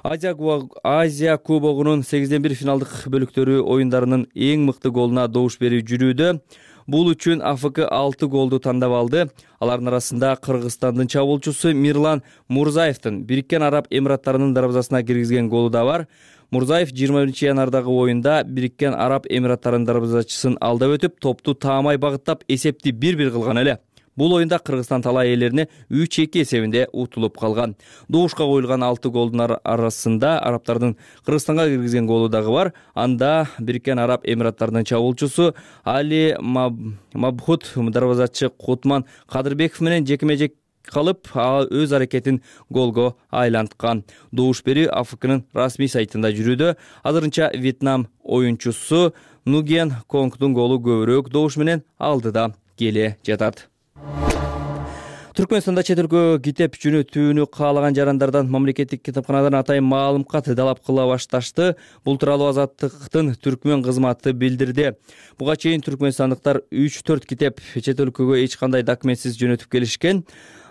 S5: Азия кубогунун 8-1 финалдык бөлүктөрү оюндарынын эң мыкты голуна добуш берүү жүрүүдө. Бул үчүн АФК 6 голду тандап алды. Алардын арасында Кыргызстандын чабуулчусу Мирлан Мурзаевдин Бириккен Араб Эмираттарынын дарбазасына киргизген голу да бар. Мурзаев 21 январдагы оюнда Бириккен Араб Эмираттарынын дарбазачысын алдап өтүп, топту таамай багыттап, эсепти 1-1 кылган эле. Бул оюнда Кыргызстан талай ээлерине 3-2 эсебинде утулуп калган. Добушка коюлган 6 голдун арасында арабтардын Кыргызстанга киргизген голу дагы бар. Анда Бириккен Араб Эмираттарынын чабуулчусу Али Мабхут дарбазачы Кутман Кадырбеков менен жекеме-жек калып, өз аракетин голго айланткан. Добуш берүү АФКнын расмий сайтында жүрүүдө. Азырынча Вьетнам оюнчусу Нуген Конгдун голу көбүрөөк добуш менен алдыда келе жатат. Түркмөнстанда чет өлкөгө китеп жөнөтүүнү каалаган жарандардан мамлекеттик китапканадан атайын маалым кат далап кыла башташты. Бул тууралуу Азаттыктын түркмөн кызматы билдирди. Буга чейин түркмөнстандыктар 3-4 китеп чет өлкөгө эч кандай документсиз жөнөтүп келишкен.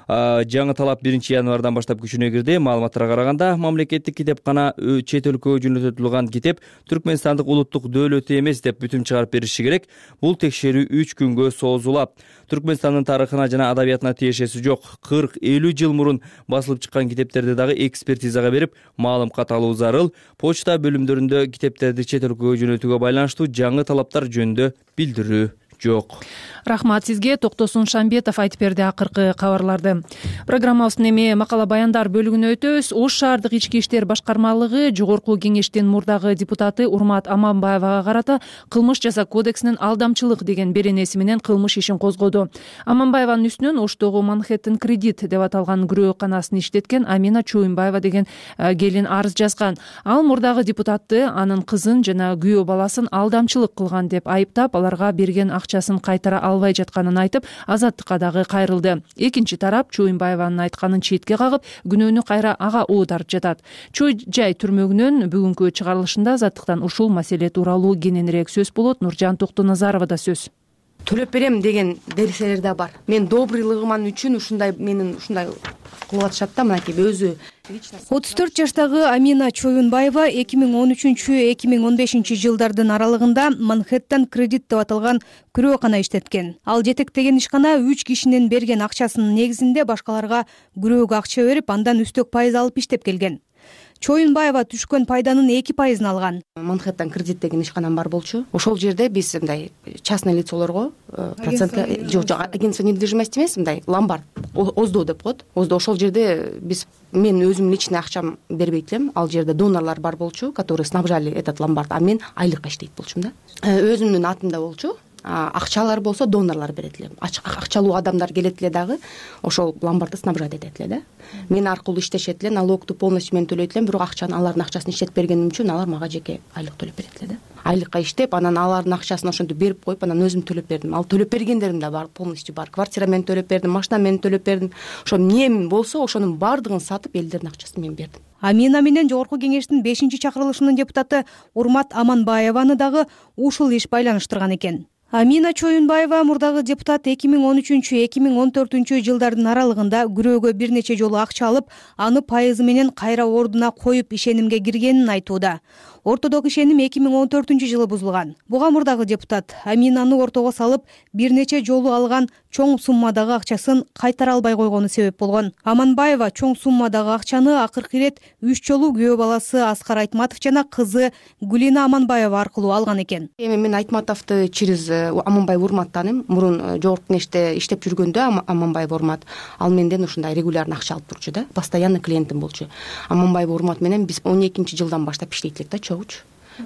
S5: Жаңы талап 1 январдан баштап күчүнө кирди. Маалыматтарга караганда, мамлекеттик китепкана чет өлкөгө жөнөтүлгөн китеп түркмөнстандык улуттук дөөлөтү эмес деп бүтүм чыгарып бериши керек. Бул текшерүү 3 күнгө созулат. Түркмөнстандын тарыхына жана адабиятына тиешеси жок 40-50 жыл мурун басылып чыккан китептерди дагы экспертизага берип, маалым кат алуу зарыл. Почта бөлүмдөрүндө китептерди чет өлкөгө жөнөтүүгө байланыштуу жаңы талаптар жөнүндө билдирүү жок.
S1: Рахмат сизге. Токтосун Шамбетов айтып берди акыркы кабарларды. Программабыздын эми макала баяндар бөлүгүнө өтөбүз. Ош шаардык ички иштер башкармалыгы жогорку кеңештин мурдагы депутаты Урмат Аманбаевага карата кылмыш жаза кодексинин алдамчылык деген беренеси менен кылмыш ишин козгоду. Аманбаеванын үстүнөн Оштогу Манхэттен кредит деп аталган күрөөканасын иштеткен Амина Чоюнбаева деген келин арыз жазган. Ал мурдагы депутатты, анын кызын жана күйөө баласын алдамчылык кылган деп айыптап, аларга берген акчасын кайтара албай жатканын айтып, Азаттыкка дагы кайрылды. Экинчи тарап Чоюнбаеванын айтканын четке кагып, күнөөнү кайра ага оодарып жатат. Чой жай түрмөгүнөн бүгүнкү чыгарылышында Азаттыктан ушул маселе тууралуу кененирээк сөз болот. Нуржан Токтоназаровада сөз.
S6: Төлөп берем деген дерселер да бар. Мен добрыйлыгыман үчүн ушундай кылып атышат да, мынакей өзү.
S2: 34 жаштагы Амина Чоюнбаева 2013-2015 жылдардын аралыгында Манхэттен кредит деп аталган күрөөкана иштеткен. Ал жетектеген ишкана 3 кишинин берген акчасынын негизинде башкаларга күрөөгө акча берип, андан үстөк пайыз алып иштеп келген. Чоюнбаева түшкөн пайданын 2% алган.
S6: Манхэттен кредит деген ишканам бар болчу. Ошол жерде биз мындай частный лицолорго процентке агентство недвижимости эмес, мындай ломбард ОЗДО деп коет. ОЗДО ошол жерде мен өзүм личный акчам бербейт элем. Ал жерде донорлор бар болчу, которые снабжали этот ломбард, а мен айлыкка иштейт болчумун да. Өзүмдүн атымда болчу. Акчалар болсо донорлор берет эле. Акчалуу адамдар келет эле дагы ошол ломбардды снабжать этет эле да. Мен аркылуу иштешет эле, налогду полностью мен төлөйт элем, бирок акчаны алардын акчасын иштетип бергеним үчүн алар мага жеке айлык төлөп берет эле да. Айлыкка иштеп, анан алардын акчасын ошентип берип коюп, анан өзүм төлөп бердим. Ал төлөп бергендерим да бар, полностью бар. Квартира мен төлөп бердим, машина мен төлөп бердим. Ошо эмне болсо ошонун баардыгын сатып, элдердин акчасын мен бердим.
S2: Амина менен жогорку кеңештин 5-чакырылышынын депутаты Урмат Аманбаеваны дагы ушул иш байланыштырган экен. Амина Чоюнбаева мурдагы депутат 2013-2014 жылдардын аралыгында күрөөгө бир нече жолу акча алып, аны пайызы менен кайра ордуна коюп ишенимге киргенин айтууда. Ортодогу ишеним 2014 бузулган. Буга мурдагы депутат Аминаны ортого салып, бир нече жолу алган чоң суммадагы акчасын кайтара албай койгону себеп болгон. Аманбаева чоң суммадагы акчаны акыркы ирет 3 жолу күйөө баласы Аскар Айтматов жана кызы Гүлина Аманбаева аркылуу алган экен.
S6: Эми мен Айтматовду через Аманбаев Урмат тааныйм. Мурун жогорку кеңеште иштеп жүргөндө Аманбаев Урмат ал менден ушундай регулярно акча алып турчу да. Постоянный клиентим болчу. Аманбаев Урмат менен биз 12-жылдан баштап иштейт элек да,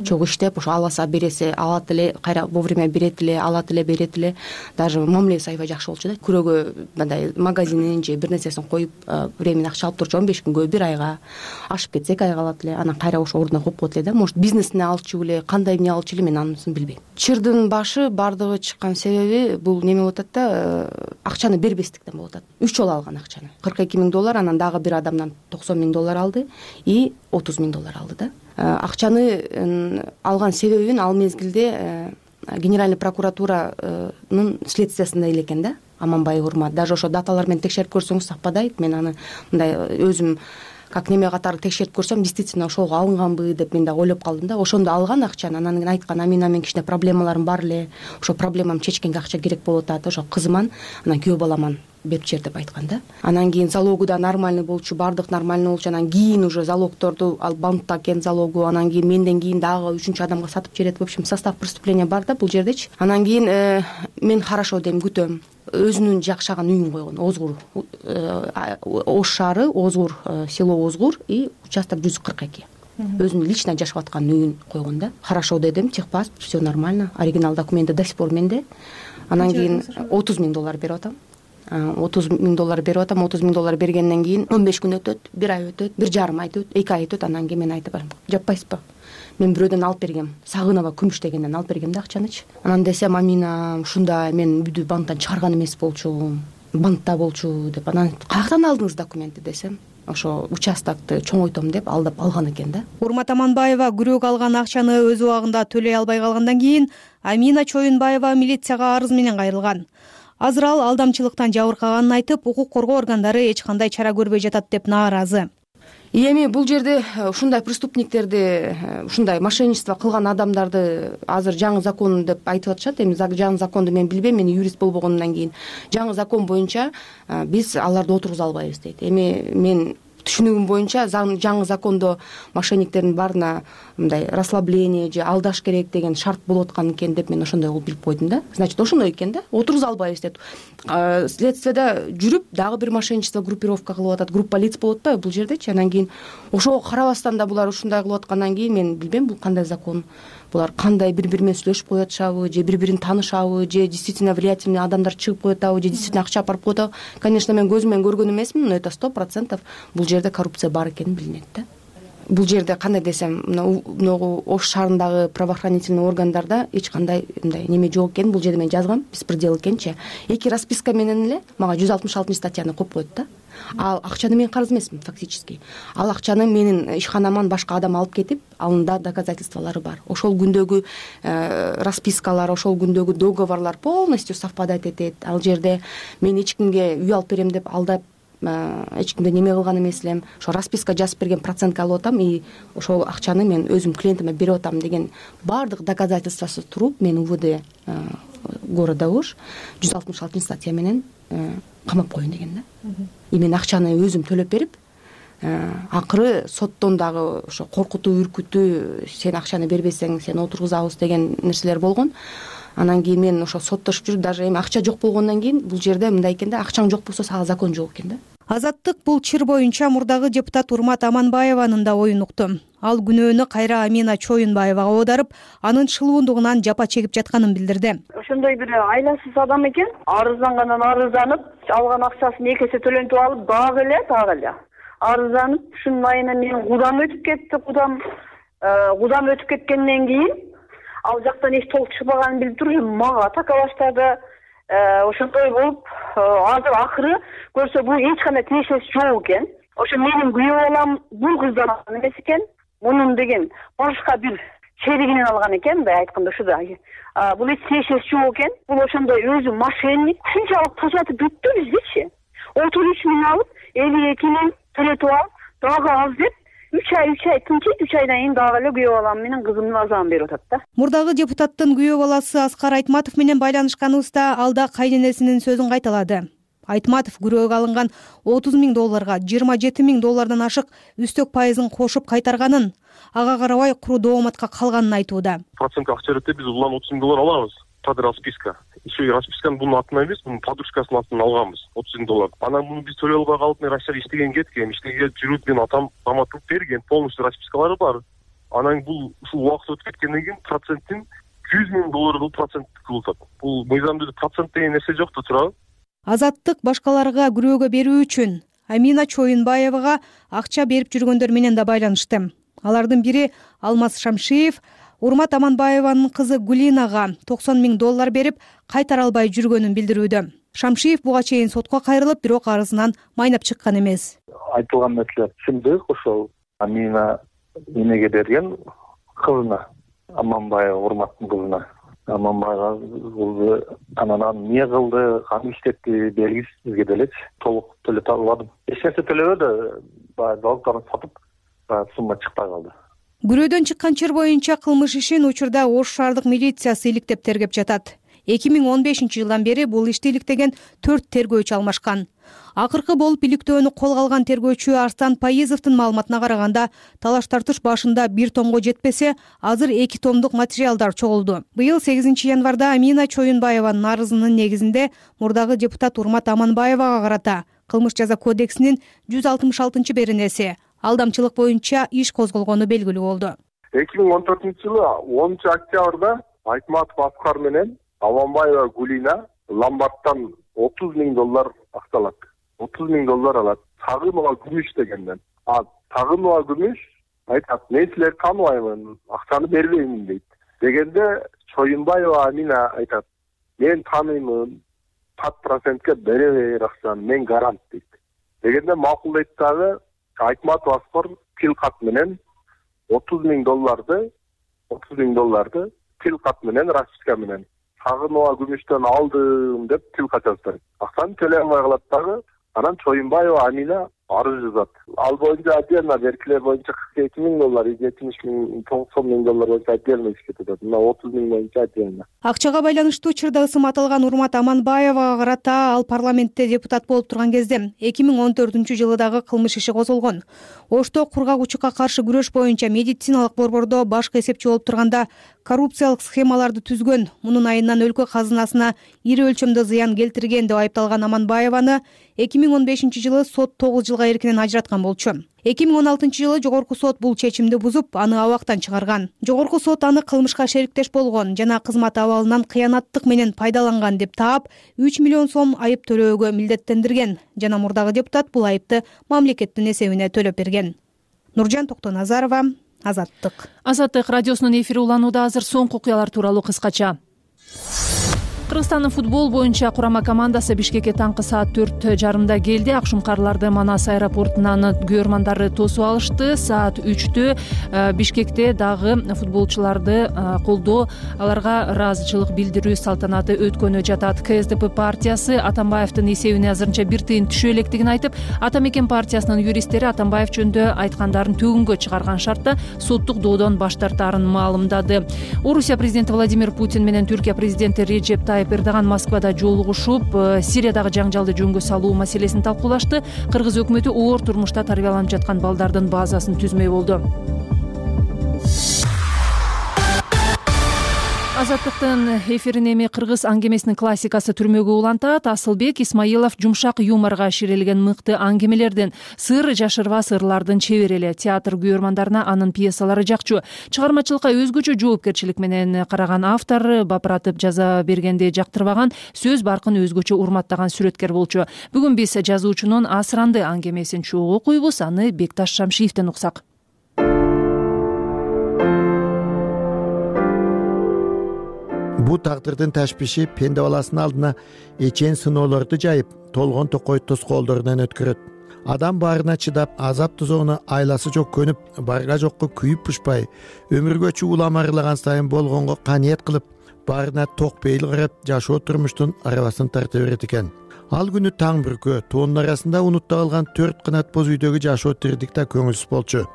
S6: чогуу иштеп, ошо аласа бересе алат эле, кайра вовремя берет эле, алат эле, берет эле. Даже мамилеси аябай жакшы болчу да. Күрөөгө мындай магазинин же бир нерсесин коюп, времени акча алып турчу. 15 күнгө, бир айга, ашып кетсе 2 айга алат эле. Анан кайра ошо ордуна коюп коет эле да. Может, бизнесине алчу эле, кандай эмне алчу эле, мен анысын билбейм. Чырдын башы бардыгы чыккан себеби бул неме болуп атат да, акчаны бербестиктен болуп атат. 3 жолу алган акчаны. $42,000, анан дагы бир адамдан $90,000 алды и $30,000 алды да. Акчаны алган себебин ал мезгилде Генеральный прокуратуранын следствиясында эле экен да. Аманбаев Урмат даже ошо даталар менен текшерип көрсөңүз саппадайт. Мен аны мындай өзүм как неме катары текшерип көрсөм, действительно ошого алынганбы деп мен да ойлоп калдым да. Ошондо алган акчаны, анан кийин айткан, Амина менен кичине проблемаларым бар эле, ошо проблемамды чечкенге акча керек болуп атат, ошо кызыман, анан күйөө баламан берип жер деп айткан да. Анан кийин залогу да нормальный болчу, бардык нормальный болчу. Анан кийин уже залогторду ал банкта экен залогу, анан кийин менден кийин дагы 3-чү адамга сатып жиберет. В общем, состав преступления бар да бул жердечи. Анан кийин мен хорошо дейм, күтөм. Өзүнүн жакшаган үйүн койгон, Озгур, Ош шаары, Озгур, село Озгур и участок 142. Өзүнүн лично жашап аткан үйүн койгон да. Хорошо дедим, техпаспорт, все нормально, оригинал документи до сих пор менде. Анан кийин $30,000 берип атам. $30,000 берип атам. $30,000 бергенден кийин 15 күн өтөт, 1 ай өтөт, 1,5 ай өтөт, 2 ай өтөт. Анан кийин мен айтып барам, жаппайсызбы? Мен бирөөдөн алып бергем, Сагынова күмүш дегенден алып бергем да акчанычы. Анан десем, Амина ушундай, мен үйдү банктан чыгарган эмес болчу, банкта болчу деп. Анан каяктан алдыңыз документти десем, ошо участокты чоңойтом деп алдап алган экен да.
S2: Урмат Аманбаева күрөөгө алган акчаны өз убагында төлөй албай калгандан кийин Амина Чоюнбаева милицияга арыз менен кайрылган. Азыр ал алдамчылыктан жабыркаганын айтып, укук коргоо органдары эч кандай чара көрбөй жатат деп нааразы.
S6: Эми бул жерде ушундай преступниктерди, ушундай мошенничество кылган адамдарды азыр жаңы закон деп айтып атышат. Эми жаңы законду мен билбейм, мен юрист болбогондон кийин жаңы закон боюнча биз аларды отургуза албайбыз дейт. Эми мен түшүнүгүм боюнча жаңы закондо мошенниктердин баарына мындай расслабление же алдаш керек деген шарт болуп аткан экен деп мен ошондой кылып билип койдум да. Значит, ошондой экен да, отургуза албайбыз деп. Следствияда жүрүп дагы бир мошенничество группировка кылып атат, группа лиц болуп атпайбы бул жердечи. Анан кийин ошого карабастан да булар ушундай кылып аткандан кийин мен билбейм бул кандай закон. Булар кандай бири-бири менен сүйлөшүп коюп атышабы, же бири-бирин таанышабы, же действительно влиятельный адамдар чыгып коюп атабы, же действительно акча апарып коюп атабы. Конечно, мен көзүм менен көргөн эмесмин, но это 100% бул жерде коррупция бар экени билинет да. Бул жерде кандай десем, мына Ош шаарындагы правоохранительный органдарда эч кандай мындай неме жок экен. Бул жерде мен жазгам, беспредел экенчи. 2 расписка менен эле мага 166 статьяны коюп коет да. Ал акчаны мен карыз эмесмин фактически. Ал акчаны менин ишканаман башка адам алып кетип, алында доказательстволору бар. Ошол күндөгү распискалар, ошол күндөгү договорлор полностью совпадать этет. Ал жерде мен эч кимге үй алып берем деп алдап, эч кимде неме кылган эмес элем. Ошо расписка жазып берген процентке алып атам и ошол акчаны мен өзүм клиентиме берип атам деген баардык доказательствосы туруп, мен УВД города Ош 166 статья менен камап коеюн деген да. И мен акчаны өзүм төлөп берип, акыры соттон дагы ошо коркутуу, үркүтүү, сен акчаны бербесең сени отургузабыз деген нерселер болгон. Анан кийин мен ошо соттошуп жүрүп, даже эми акча жок болгондон кийин бул жерде мындай экен да, акчаң жок болсо сага закон жок экен да.
S2: Азаттык бул чыр боюнча мурдагы депутат Урмат Аманбаеванын да оюн укту. Ал күнөөнү кайра Амина Чоюнбаевага оодарып, анын чылуундугунан жапа чегип жатканын билдирди.
S9: Ошондой бир айласыз адам экен, арыздангандан арызданып, алган акчасын 2 эсе төлөнтүп алып, дагы эле арызданып, ушунун айынан менин кудам өтүп кетти. Кудам өтүп кеткенден кийин ал жактан эч толук чыкпаганын билип туруп, мага така баштады. Ошондой болуп, азыр акыры көрсө бул эч кандай тиешеси жок экен. ошо менин күйөө балам бул кыздан алган эмес экен, мунун деген башка бир черигинен алган экен, мындай айтканда ушуда. Бул эч тиешеси жок экен. Бул ошондой өзү мошенник. Ушунчалык тажатып бүттү биздичи. 33 миң алып, 52 миң төлөтүп алып, дагы аз деп 3 ай тынчыйт, 3 айдан кийин дагы эле күйөө балам менен кызымдын азабын берип атат да.
S2: Мурдагы депутаттын күйөө баласы Аскар Айтматов менен байланышканыбызда ал да кайненесинин сөзүн кайталады. Айтматов күрөөгө алынган 30 миң долларга 27 миң доллардан ашык үстөк пайызын кошуп кайтарганын, ага карабай куру дооматка калганын айтууда.
S10: Процентке акча берет деп биз улам 30 миң доллар алабыз. Под расписка. Еще и расписканы бунун атынан эмес, бунун подружкасынын атынан алганбыз 30 миң доллар. Анан муну биз төлөй албай калып, мен Россияга иштеген кеткем, иштеген жүрүп, менин атам каматылып берген, полностью распискалары бар. Анан бул ушул убакыт өтүп кеткенден кийин проценттин 100 миң доллар кылып проценттик кылып атат. Бул мыйзамда процент деген нерсе жок да турабы?
S2: Азаттык башкаларга күрөөгө берүү үчүн Амина Чоюнбаевага акча берип жүргөндөр менен да байланышты. Алардын бири Алмаз Шамшиев, Урмат Аманбаеванын кызы Гулинага 90 миң доллар берип кайтара албай жүргөнүн билдирүүдө. Шамшиев буга чейин сотко кайрылып, бирок арызынан майнап чыккан эмес.
S11: Айтылган нерселер чындык, ошол Амина эмеге берген кызына, Аманбаева Урматтын кызына. Аманбайга кызы анан эмне кылды, кантип иштетти белгисиз, бизге делечи толук төлөтө албадым. Эч нерсе төлөбөдү, баягы залыктарын сатып, сумма чыкпай калды.
S2: Күрөөдөн чыккан чыр боюнча кылмыш ишин учурда Ош шаардык милициясы иликтеп тергеп жатат. 2015-жылдан бери бул ишти иликтеген 4 тергөөчү алмашкан. Акыркы болуп иликтөөнү колго алган тергөөчү Арстан Паизовдун маалыматына караганда, талаш-тартыш башында 1 томго жетпесе, азыр 2 томдук материалдар чогулду. Быйыл 8 январда Амина Чоюнбаеванын арызынын негизинде мурдагы депутат Урмат Аманбаевага карата Кылмыш жаза кодексинин 166-беренеси алдамчылык боюнча иш козголгону белгилүү болду.
S10: 2014-жылы 10 октябрда Айтматов Аскар менен Аманбаева Гулина ломбардтан 30 миң доллар акталат. 30 миң доллар алат. Тагынова күмүш дегенден. Тагынова күмүш айтат, мен силерди тааныбаймын, акчаны бербеймин дейт. Дегенде Чоюнбаева Амина айтат, мен тааныймын, pat процентке бере бер акчаны, мен гарант дейт. Дегенде макулдайт дагы Айтматов Аскар тил кат менен 30 миң долларды тил кат менен, расписка менен Тагынова күмүштөн алдым деп тил кат жаздырат. Акчаны төлөй албай калат дагы, анан Чоюнбаева Амина арыз жазат. Ал боюнча отдельно беркилер боюнча 42 миң доллар, 70 миң, 90 миң доллар боюнча отдельно ишке кетет. Мына 30 миң боюнча отдельно.
S2: Акчага байланыштуу чырда ысым аталган Урмат Аманбаевага карата ал парламентте депутат болуп турган кезде 2014-жылы дагы кылмыш иши козголгон. Ошто кургагучукка каршы күрөш боюнча медициналык борбордо башкы эсепчи болуп турганда коррупциялык схемаларды түзгөн, мунун айынан өлкө казынасына ири өлчөмдө зыян келтирген деп айыпталган Аманбаеваны 2015-жылы сот 9 жылга эркинен ажыраткан болчу. 2016-жылы жогорку сот бул чечимди бузуп, аны абактан чыгарган. Жогорку сот аны кылмышка шериктеш болгон жана кызмат абалынан кыянаттык менен пайдаланган деп таап, 3 миллион сом айып төлөөгө милдеттендирген. Жана мурдагы депутат бул айыпты мамлекеттин эсебине төлөп берген. Нуржан Токтоназарова, Азаттык.
S1: Азаттык радиосунун эфири уланууда. Азыр соңку окуялар тууралуу кыскача. Кыргызстандын футбол боюнча курама командасы Бишкекке таңкы саат 4:30 келди. Акшумкарларды Манас аэропортунан көрмандары тосуп алышты. Саат 3-тө Бишкекте дагы футболчуларды колдоо, аларга ыраазычылык билдирүү салтанаты өткөнү жатат. КСДП партиясы Атамбаевдин эсебине азырынча 1 тыйын түшө электигин айтып, Атамекен партиясынын юристтери Атамбаев жөнүндө айткандарын төгүнгө чыгарган шартта соттук доодон баш тартаарын маалымдады. Орусия президенти Владимир Путин менен Түркия президенти Реджеп Эрдоган Москвада жолугушуп, Сириядагы жаңжалды жөнгө салуу маселесин талкуулашты. Кыргыз өкмөтү оор турмушта тарбияланып жаткан балдардын базасын түзмөй болду. Азаттыктын эфирин эми кыргыз аңгемесинин классикасы түрмөгө улантат. Асылбек Исмаилов жумшак юморго ширелген мыкты аңгемелерден, сыр жашырбас ырлардын чебери эле. Театр күйөрмандарына анын пьесалары жакчу. Чыгармачылыкка өзгөчө жоопкерчилик менен караган автор, бапыратып жаза бергенди жактырбаган, сөз баркын өзгөчө урматтаган сүрөткер болчу. Бүгүн биз жазуучунун Асыранды аңгемесин чогуу окуйбуз, аны Бекташ Шамшиевден уксак.
S12: Бу тагдырдын ташпиши пенде баласынын алдына эчен сыноолорду жайып, толгон токой тоскоолдорунан өткөрөт. адам баарына чыдап, азап тозоону айласы жок көнүп, барга жокко күйүп пушпай, өмүргө чуулам арылаган сайын болгонго каниет кылып, баарына ток пейил карап, жашоо турмуштун арабасын тарта берет экен. Ал күнү таң бүркө, тоонун арасында унутта калган 4 канат боз үйдөгү жашоо тирдик да көңүлсүз болчу.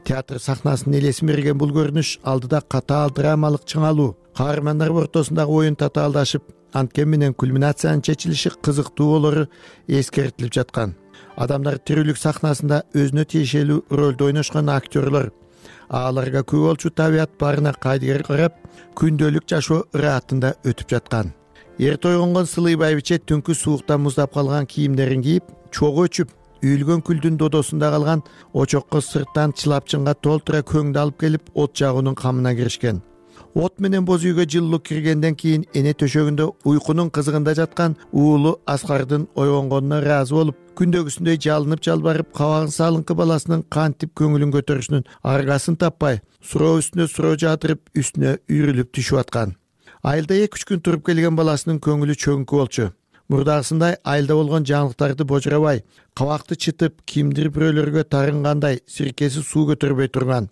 S12: Театр сахнасынын элесин берген бул көрүнүш алдыда катаал драмалык чыңалуу, каармандар ортосундагы оюн татаалдашып, анткен менен кульминациянын чечилиши кызыктуу болору эскертилип жаткан. Адамдар тирүүлүк сахнасында өзүнө тиешелүү ролду ойношкон актерлор, аларга күбө болчу табият баарына кайдыгер карап, күндөлүк жашоо ыраатында өтүп жаткан. Эрте ойгонгон Сылый байбиче түнкү сууктан муздап калган кийимдерин кийип, чогуу өчүп, үйүлгөн күлдүн додосунда калган очокко сырттан чылапчынга толтура көңдү алып келип, от жагуунун камына киришкен. От менен боз үйгө жылуулук киргенден кийин эне төшөгүндө уйкунун кызыгында жаткан уулу Аскардын ойгонгонуна ыраазы болуп, күндөгүсүндөй жалынып жалбарып, кабагын салыңкы баласынын кантип көңүлүн көтөрүшүнүн аргасын таппай, суроо үстүнө суроо жаатырып, үстүнө үйрүлүп түшүп аткан. Айылда 2-3 күн туруп келген баласынын көңүлү чөңкү болчу. Мурдагысындай айылда болгон жаңылыктарды божурабай, кабакты чытып, кимдир бирөөлөргө тарынгандай сиркеси суу көтөрбөй турган.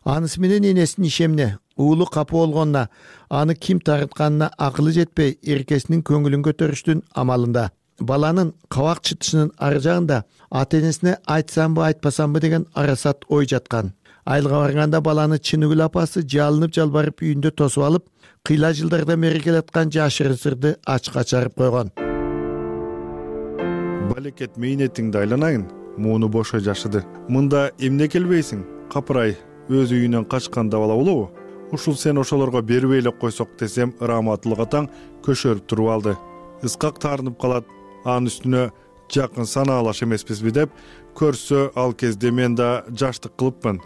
S12: Анысы менен энесинин ишемине, уулу капы болгонуна, аны ким тарытканына акылы жетпей, эркесинин көңүлүн көтөрүштүн амалында. Баланын кабак чытышынын ары жагында ата-энесине айтсамбы, айтпасамбы деген арасат ой жаткан. Айылга барганда баланы Чыныгүл апасы жалынып жалбарып үйүндө тосуп алып, кыйла жылдарда мерекелеп аткан жашырын сырды ачка чарып койгон.
S7: Балекет мейнетиңди айланайын, мууну бошой жашыды. Мында эмне келбейсиң? Капырай, өз үйүнөн качканда бала болобу? Ушул сен ошолорго бербей эле койсок десем, Раматылык атаң көшөрүп туруп алды. Искак таарынып калат, анын үстүнө жакын санаалаш эмеспизби деп, көрсө ал кезде мен да жаштык кылыпмын.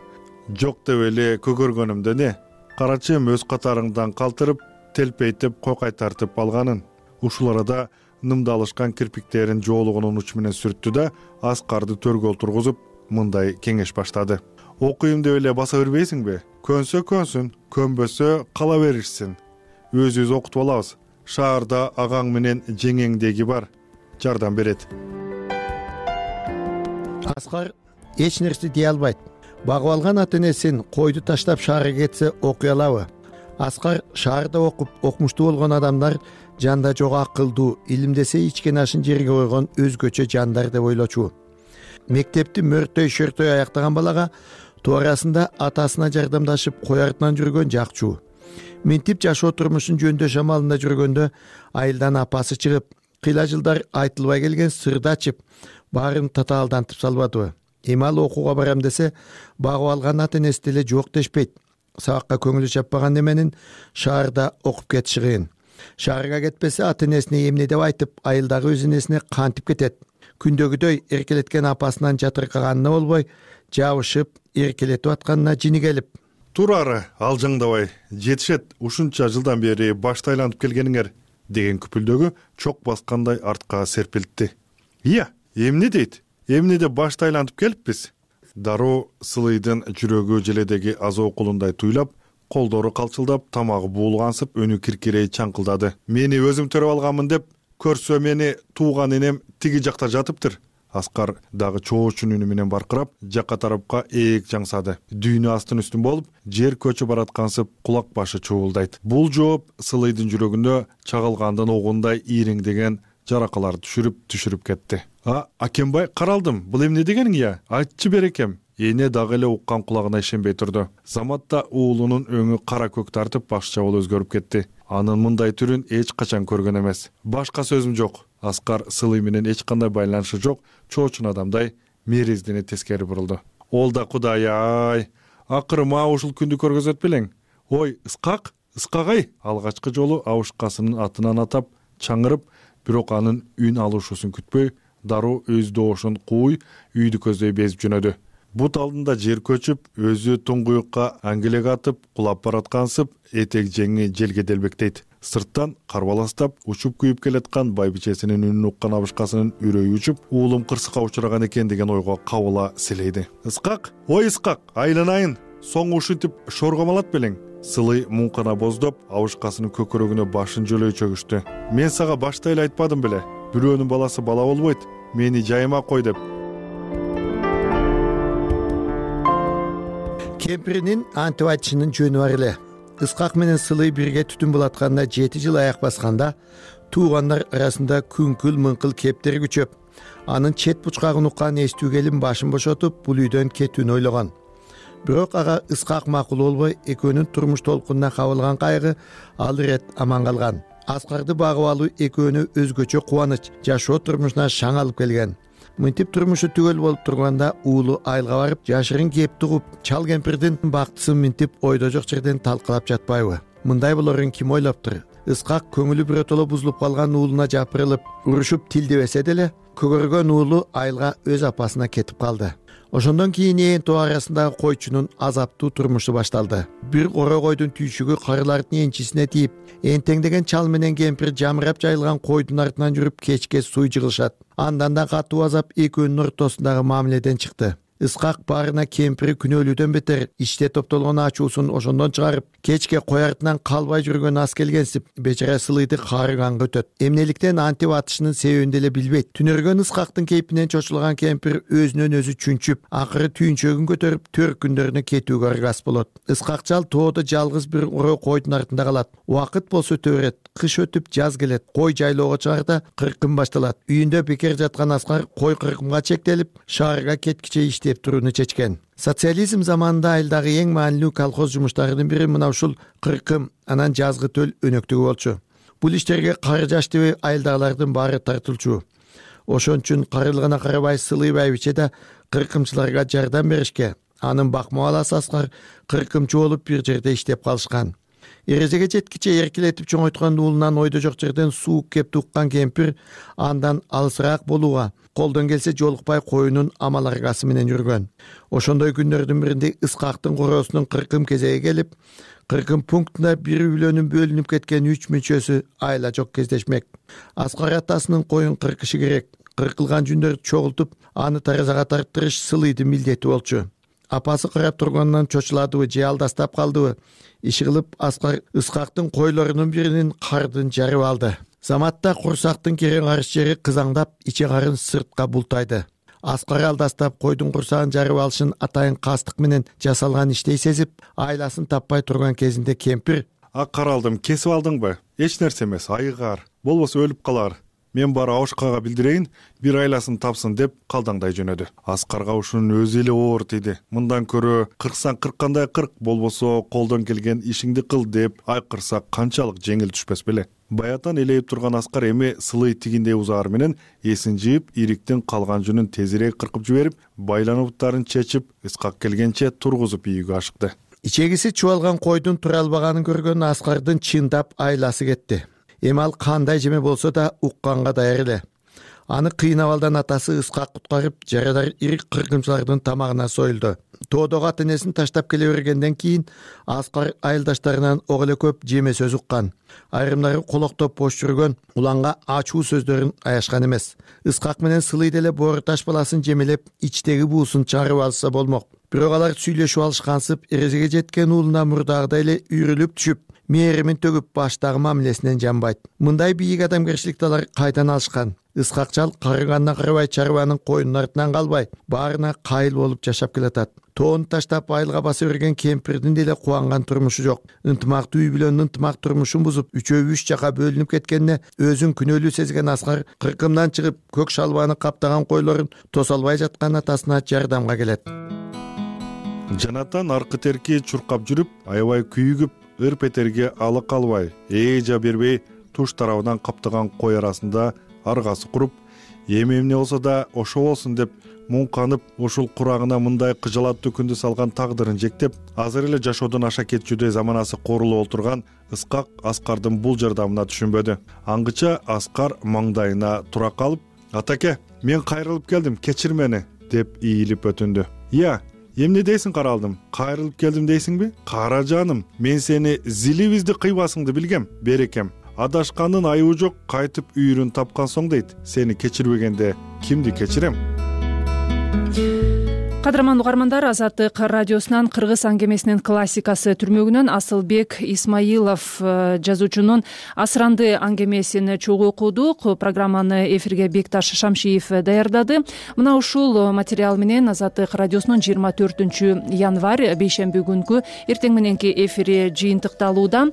S7: Жок деп эле көгөргөнүмдө не? Карачым өз катарыңдан калтырып, телпейтип, кокай тартып алганын. Ушул арада нымдалышкан кирпиктерин жоолугунун учу менен сүрттү да, Аскарды төргө отургузуп, мындай кеңеш баштады. Окуйм деп эле баса бербейсиңби? Көнсө көнсүн, көнбөсө кала беришсин. Өзүбүз окутуп алабыз. Шаарда агаң менен жеңеңдеги бар, жардам берет.
S12: Аскар эч нерсе дей албайт. Багып алган ата-энесин койду таштап шаарга кетсе окуй алабы? Аскар шаарда окуп, окмуштуу болгон адамдар жанда жок акылдуу, илимдесе ичкен ашын жерге койгон өзгөчө жандар деп ойлочу. Мектепти мөртөй-шөртөй аяктаган балага туурасында атасына жардамдашып кой артынан жүргөн жакчу. Мынтип жашоо турмушун жөндөш амалында жүргөндө айылдан апасы чыгып, кыйла жылдар айтылбай келген сырды ачып, баарын татаалдантып салбадыбы? Эми ал окууга барам десе, багып алган ата-энеси деле жок дешпейт. Сабакка көңүлү чаппаган неменин шаарда окуп кетиши кыйын. Шаарга кетпесе ата-энесине эмне деп айтып, айылдагы өз энесине кантип кетет? Күндөгүдөй эркелеткен апасынан жатыркаганына болбой, жабышып, эркелетип атканына жини келип,
S7: турары алжаңдабай, жетишет, ушунча жылдан бери башты айланып келгениңер деген күпүлдөгү чок баскандай артка серпилтти. Ия, эмне дейт? Эмне деп башты айлантып келиппиз? Дароо Сылыйдын жүрөгү желедеги азоо кулундай туйлап, колдору калчылдап, тамагы буулгансып, өнү киркирей чаңкылдады. Мени өзүм төрөп алганмын деп, көрсө мени тууган энем тиги жакта жатыптыр. Аскар дагы чоочун үнү менен баркырап, жакка тарапка ээк жаңсады. Дүйнө астын үстүн болуп, жер көчүп бараткансып, кулак башы чуулдайт. Бул жооп Сылыйдын жүрөгүндө чагылгандын огундай иреңдеген жаракалар түшүрүп кетти. Акембай, каралдым, бул эмне дегениң я? Айтчы берекем. Эне дагы эле уккан кулагына ишенбей турду. Заматта уулунун өңү кара көк тартып, башча болуп өзгөрүп кетти. Анын мындай түрүн эч качан көргөн эмес. Башка сөзүм жок. Аскар Сылый менен эч кандай байланышы жок, чоочун адамдай мериздине тескери бурулду. Ол да Кудай-ай, акырма ушул күндү көргөзөт белең. Ой, Искак, Искагай, алгачкы жолу абышкасынын атынан атап, чаңырып, бирок анын үн алышуусун күтпөй, дароо өз доошун кууй, үйдү көздөй безип жөнөдү. Бут алдында жер көчүп, өзү туңгуюкка аңгелек атып, кулап бараткансып, этек жеңи желге делбектейт. Сырттан карбаластап, учуп күйүп келаткан байбичесинин үнүн уккан абышкасынын үрөйү учуп, уулум кырсыкка учураган экен деген ойго кабыла силейди. Искак, ой Искак, айланайын, соң ушинтип шоргомалат белең. Сылый муңкана боздоп, абышкасынын көкөрөгүнө башын жөлөй чөгүштү. Мен сага башта эле айтпадым беле, бирөөнүн баласы бала болбойт, мени жайыма кой деп.
S12: кемпиринин антип айтышынын жөнү бар эле. Ыскак менен Сылый бирге түтүн булатканда 7 жыл аяк басканда туугандар арасында күңкүл мыңкыл кептери күчөп, анын чет бучкагын уккан эстүү келин башын бошотуп бул үйдөн кетүүнү ойлогон. Бирок ага Ыскак макул болбой, экөөнүн турмуш толкунуна кабылган кайгы ал ирет аман калган. Аскарды багып алуу экөөнү өзгөчө кубаныч, жашоо турмушуна шаң алып келген. Мынтип турмушу түгөл болуп турганда уулу айылга барып, жашырын кеп тугуп, чал кемпирдин бактысын мынтип ойдо жок жерден талкалап жатпайбы? Мындай болорун ким ойлоптур? Ыскак көңүлү биротоло бузулуп калган уулуна жапырылып, урушуп тилдебесе деле, көгөргөн уулу айылга өз апасына кетип калды. Ошондон кийин ээн тоо арасындагы койчунун азаптуу турмушу башталды. Бир коро койдун түйшүгү карылардын энчисине тийип, энтеңдеген чал менен кемпир жамырап жайылган койдун артынан жүрүп кечке суй жыгылышат. Андан да катуу азап экөөнүн ортосундагы мамиледен чыкты. Ыскак баарына кемпири күнөөлүүдөн бетер ичте топтолгон ачуусун ошондон чыгарып, кечке кой артынан калбай жүргөн ас келгенсип, бечара Сылыйды каарыганга өтөт. Эмнеликтен антип атышынын себебин деле билбейт. Түнөргөн Ыскактын кейпинен чочулган кемпир өзүнөн өзү чүнчүп, акыры түйүнчөгүн көтөрүп төрк күндөрүнө кетүүгө аргас болот. Ыскак чал тоодо жалгыз бир оро койдун артында калат. Убакыт болсо өтө берет. Кыш өтүп жаз келет. Кой жайлоого чыгарда кыркым башталат. Үйүндө бекер жаткан Аскар кой кыркымга чектелип, шаарга кеткиче иштеп турууну чечкен. Социализм заманында айылдагы эң маанилүү колхоз жумуштарынын бири мына ушул кыркым, анан жазгы төл өнөктүгү болчу. Бул иштерге кары жаш дебей айылдагылардын баары тартылчу. Ошон үчүн карылыгына карабай Сылый байбиче да кыркымчыларга жардам беришке. Анын бакма баласы Аскар кыркымчы болуп бир жерде иштеп калышкан. Эрезеге жеткиче эркелетип чоңойткон уулунан ойдо жок жерден суук кеп туккан кемпир андан алысыраак болууга, колдон келсе жолукпай коюнун амал аргасы менен жүргөн. Ошондой күндөрдүн биринде Ыскактын короосунун кыркым кезеги келип, кыркым пунктунда бир үйлөнүп бөлүнүп кеткен 3 мүчөсү айла жок кездешмек. Аскар атасынын коюн кыркышы керек. Кыркылган жүндөрдү чогултуп, аны таразага тарттырыш Сылыйдын милдети болчу. Апасы карап турганынан чочуладыбы же алдастап калдыбы? Иши кылып Аскар Ыскактын койлорунун биринин кардын жарып алды. Заматта курсактын керең арыш жери кызаңдап, иче карын сыртка бултайды. Аскар алдастап койдун курсагын жарып алышын атайын кастык менен жасалган иштей сезип, айласын таппай турган кезинде кемпир:
S7: "Ак каралдым, кесип алдыңбы? Эч нерсе эмес, айыгар. Болбосо өлүп калар. Мен бары Аушкага билдирейин, бир айласын тапсын" деп калдаңдай жөнөдү. Аскарга ушунун өзү эле оор тийди. Мындан көрө кырксаң кырккандай кырк, болбосо колдон келген ишиңди кыл деп айкырса канчалык жеңил түшпөс беле. Баятан элейип турган Аскар эми Сылый тигиндей узаар менен эсин жыйып, ириктин калган жүнүн тезирээк кыркып жиберип, байланууттарын чечип, Ыскак келгенче тургузуп ийүүгө ашыкты.
S12: Ичегиси чубалган койдун тура албаганын көргөн Аскардын чындап айласы кетти. Эми ал кандай жеме болсо да укканга даяр эле. Аны кыйнап алдан атасы Ыскак куткарып, жарадар ирик кыркымчылардын тамагына союлду. Тоодогу ата энесин таштап келе бергенден кийин Аскар айылдаштарынан ок эле көп жеме сөз уккан. Айрымдары колоктоп бош жүргөн, уланга ачуу сөздөрүн аяшкан эмес. Ыскак менен Сылый деле боору таш баласын жемелеп, ичтеги буусун чыгарып алса болмок. Бирок алар сүйлөшүп алышкансып, эрезеге жеткен уулуна мурдагыдай эле үйрүлүп түшүп, мээримин төгүп баштагы мамилесинен жанбайт. Мындай бийик адамгерчиликти алар кайдан алышкан? Ыскак чал карыганына карабай чарбанын коюнун артынан калбай, баарына кайыл болуп жашап келатат. Тоону таштап айылга баса берген кемпирдин деле кубанган турмушу жок. Ынтымактуу үй бүлөнүн ынтымак турмушун бузуп, үчөө 3 жака бөлүнүп кеткенине өзүн күнөөлүү сезген Аскар кыркымдан чыгып, көк шалбаны каптаган койлорун тоса албай жаткан атасына жардамга келет.
S7: Жанатан аркы терки чуркап жүрүп, аябай күйүгүп, ыр петерге алы калбай, эжа бербей туш тарабынан каптаган кой арасында аргасы куруп, эмне болсо да ошо болсун деп муңканып, ушул курагына мындай кыжалаттуу күндү салган тагдырын жектеп, азыр эле жашоодон аша кетчүдөй заманасы корулуп отурган Ыскак Аскардын бул жардамына түшүнбөдү. Аңгыча Аскар маңдайына тура калып: "Атаке, мен кайрылып келдим, кечир мени" деп ийилип өтүндү. "Я, эмне дейсиң каралдым? Кайрылып келдим дейсиңби? Кара жаным, мен сени зилибизди кыйбасыңды билгем, берекем. Адашкандын айыбы жок, кайтып үйүрүн тапкан соң дейт. Сени кечирбегенде кимди кечирем?"
S1: Кадырман угармандар, Азаттык радиосунан кыргыз аңгемесинин классикасы түрмөгүнөн Асылбек Исмаилов жазуучунун Асыранды аңгемесин чогуу окудук. Программаны эфирге Бекташ Шамшиев даярдады. Мына ушул материал менен Азаттык радиосунун 24 январь бейшемби күнкү эртең мененки эфири жыйынтыкталууда.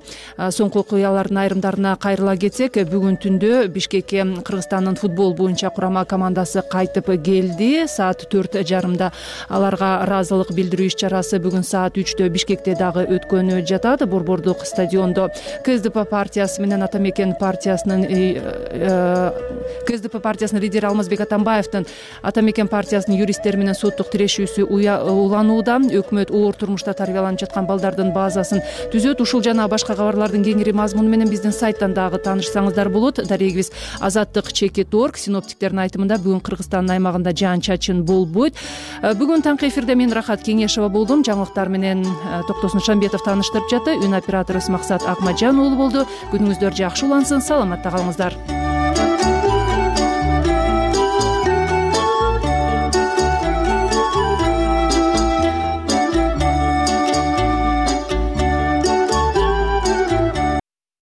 S1: Соңку окуялардын айрымдарына кайрыла кетсек, бүгүн түндө Бишкекке Кыргызстандын футбол боюнча курама командасы кайтып келди. Саат 4:30 аларга ыраазылык билдирүү иш-чарасы бүгүн саат 3-тө Бишкекте дагы өткөнү жатат. Борбордук стадиондо КСДП партиясы менен Атамекен партиясынын лидери Алмазбек Атамбаевдин Атамекен партиясынын юристтери менен соттук тирешүүсү уланууда. Өкмөт оор турмушта тарбияланып жаткан балдардын базасын түзөт. Ушул жана башка кабарлардын кеңири мазмуну менен биздин сайттан дагы таанышсаңыздар болот. Дарегибиз azattik.org. Синоптиктердин айтымында бүгүн Кыргызстандын аймагында жаан-чачын болбойт. Бүгүн таңкы эфирде мен Рахат Кеңешова болдум. Жаңылыктар менен Токтосун Шамбетов тааныштырып жатты. Үн операторубуз Максат Акмаджан уулу болду. Күнүңүздөр жакшы улансын. Саламатта калыңыздар.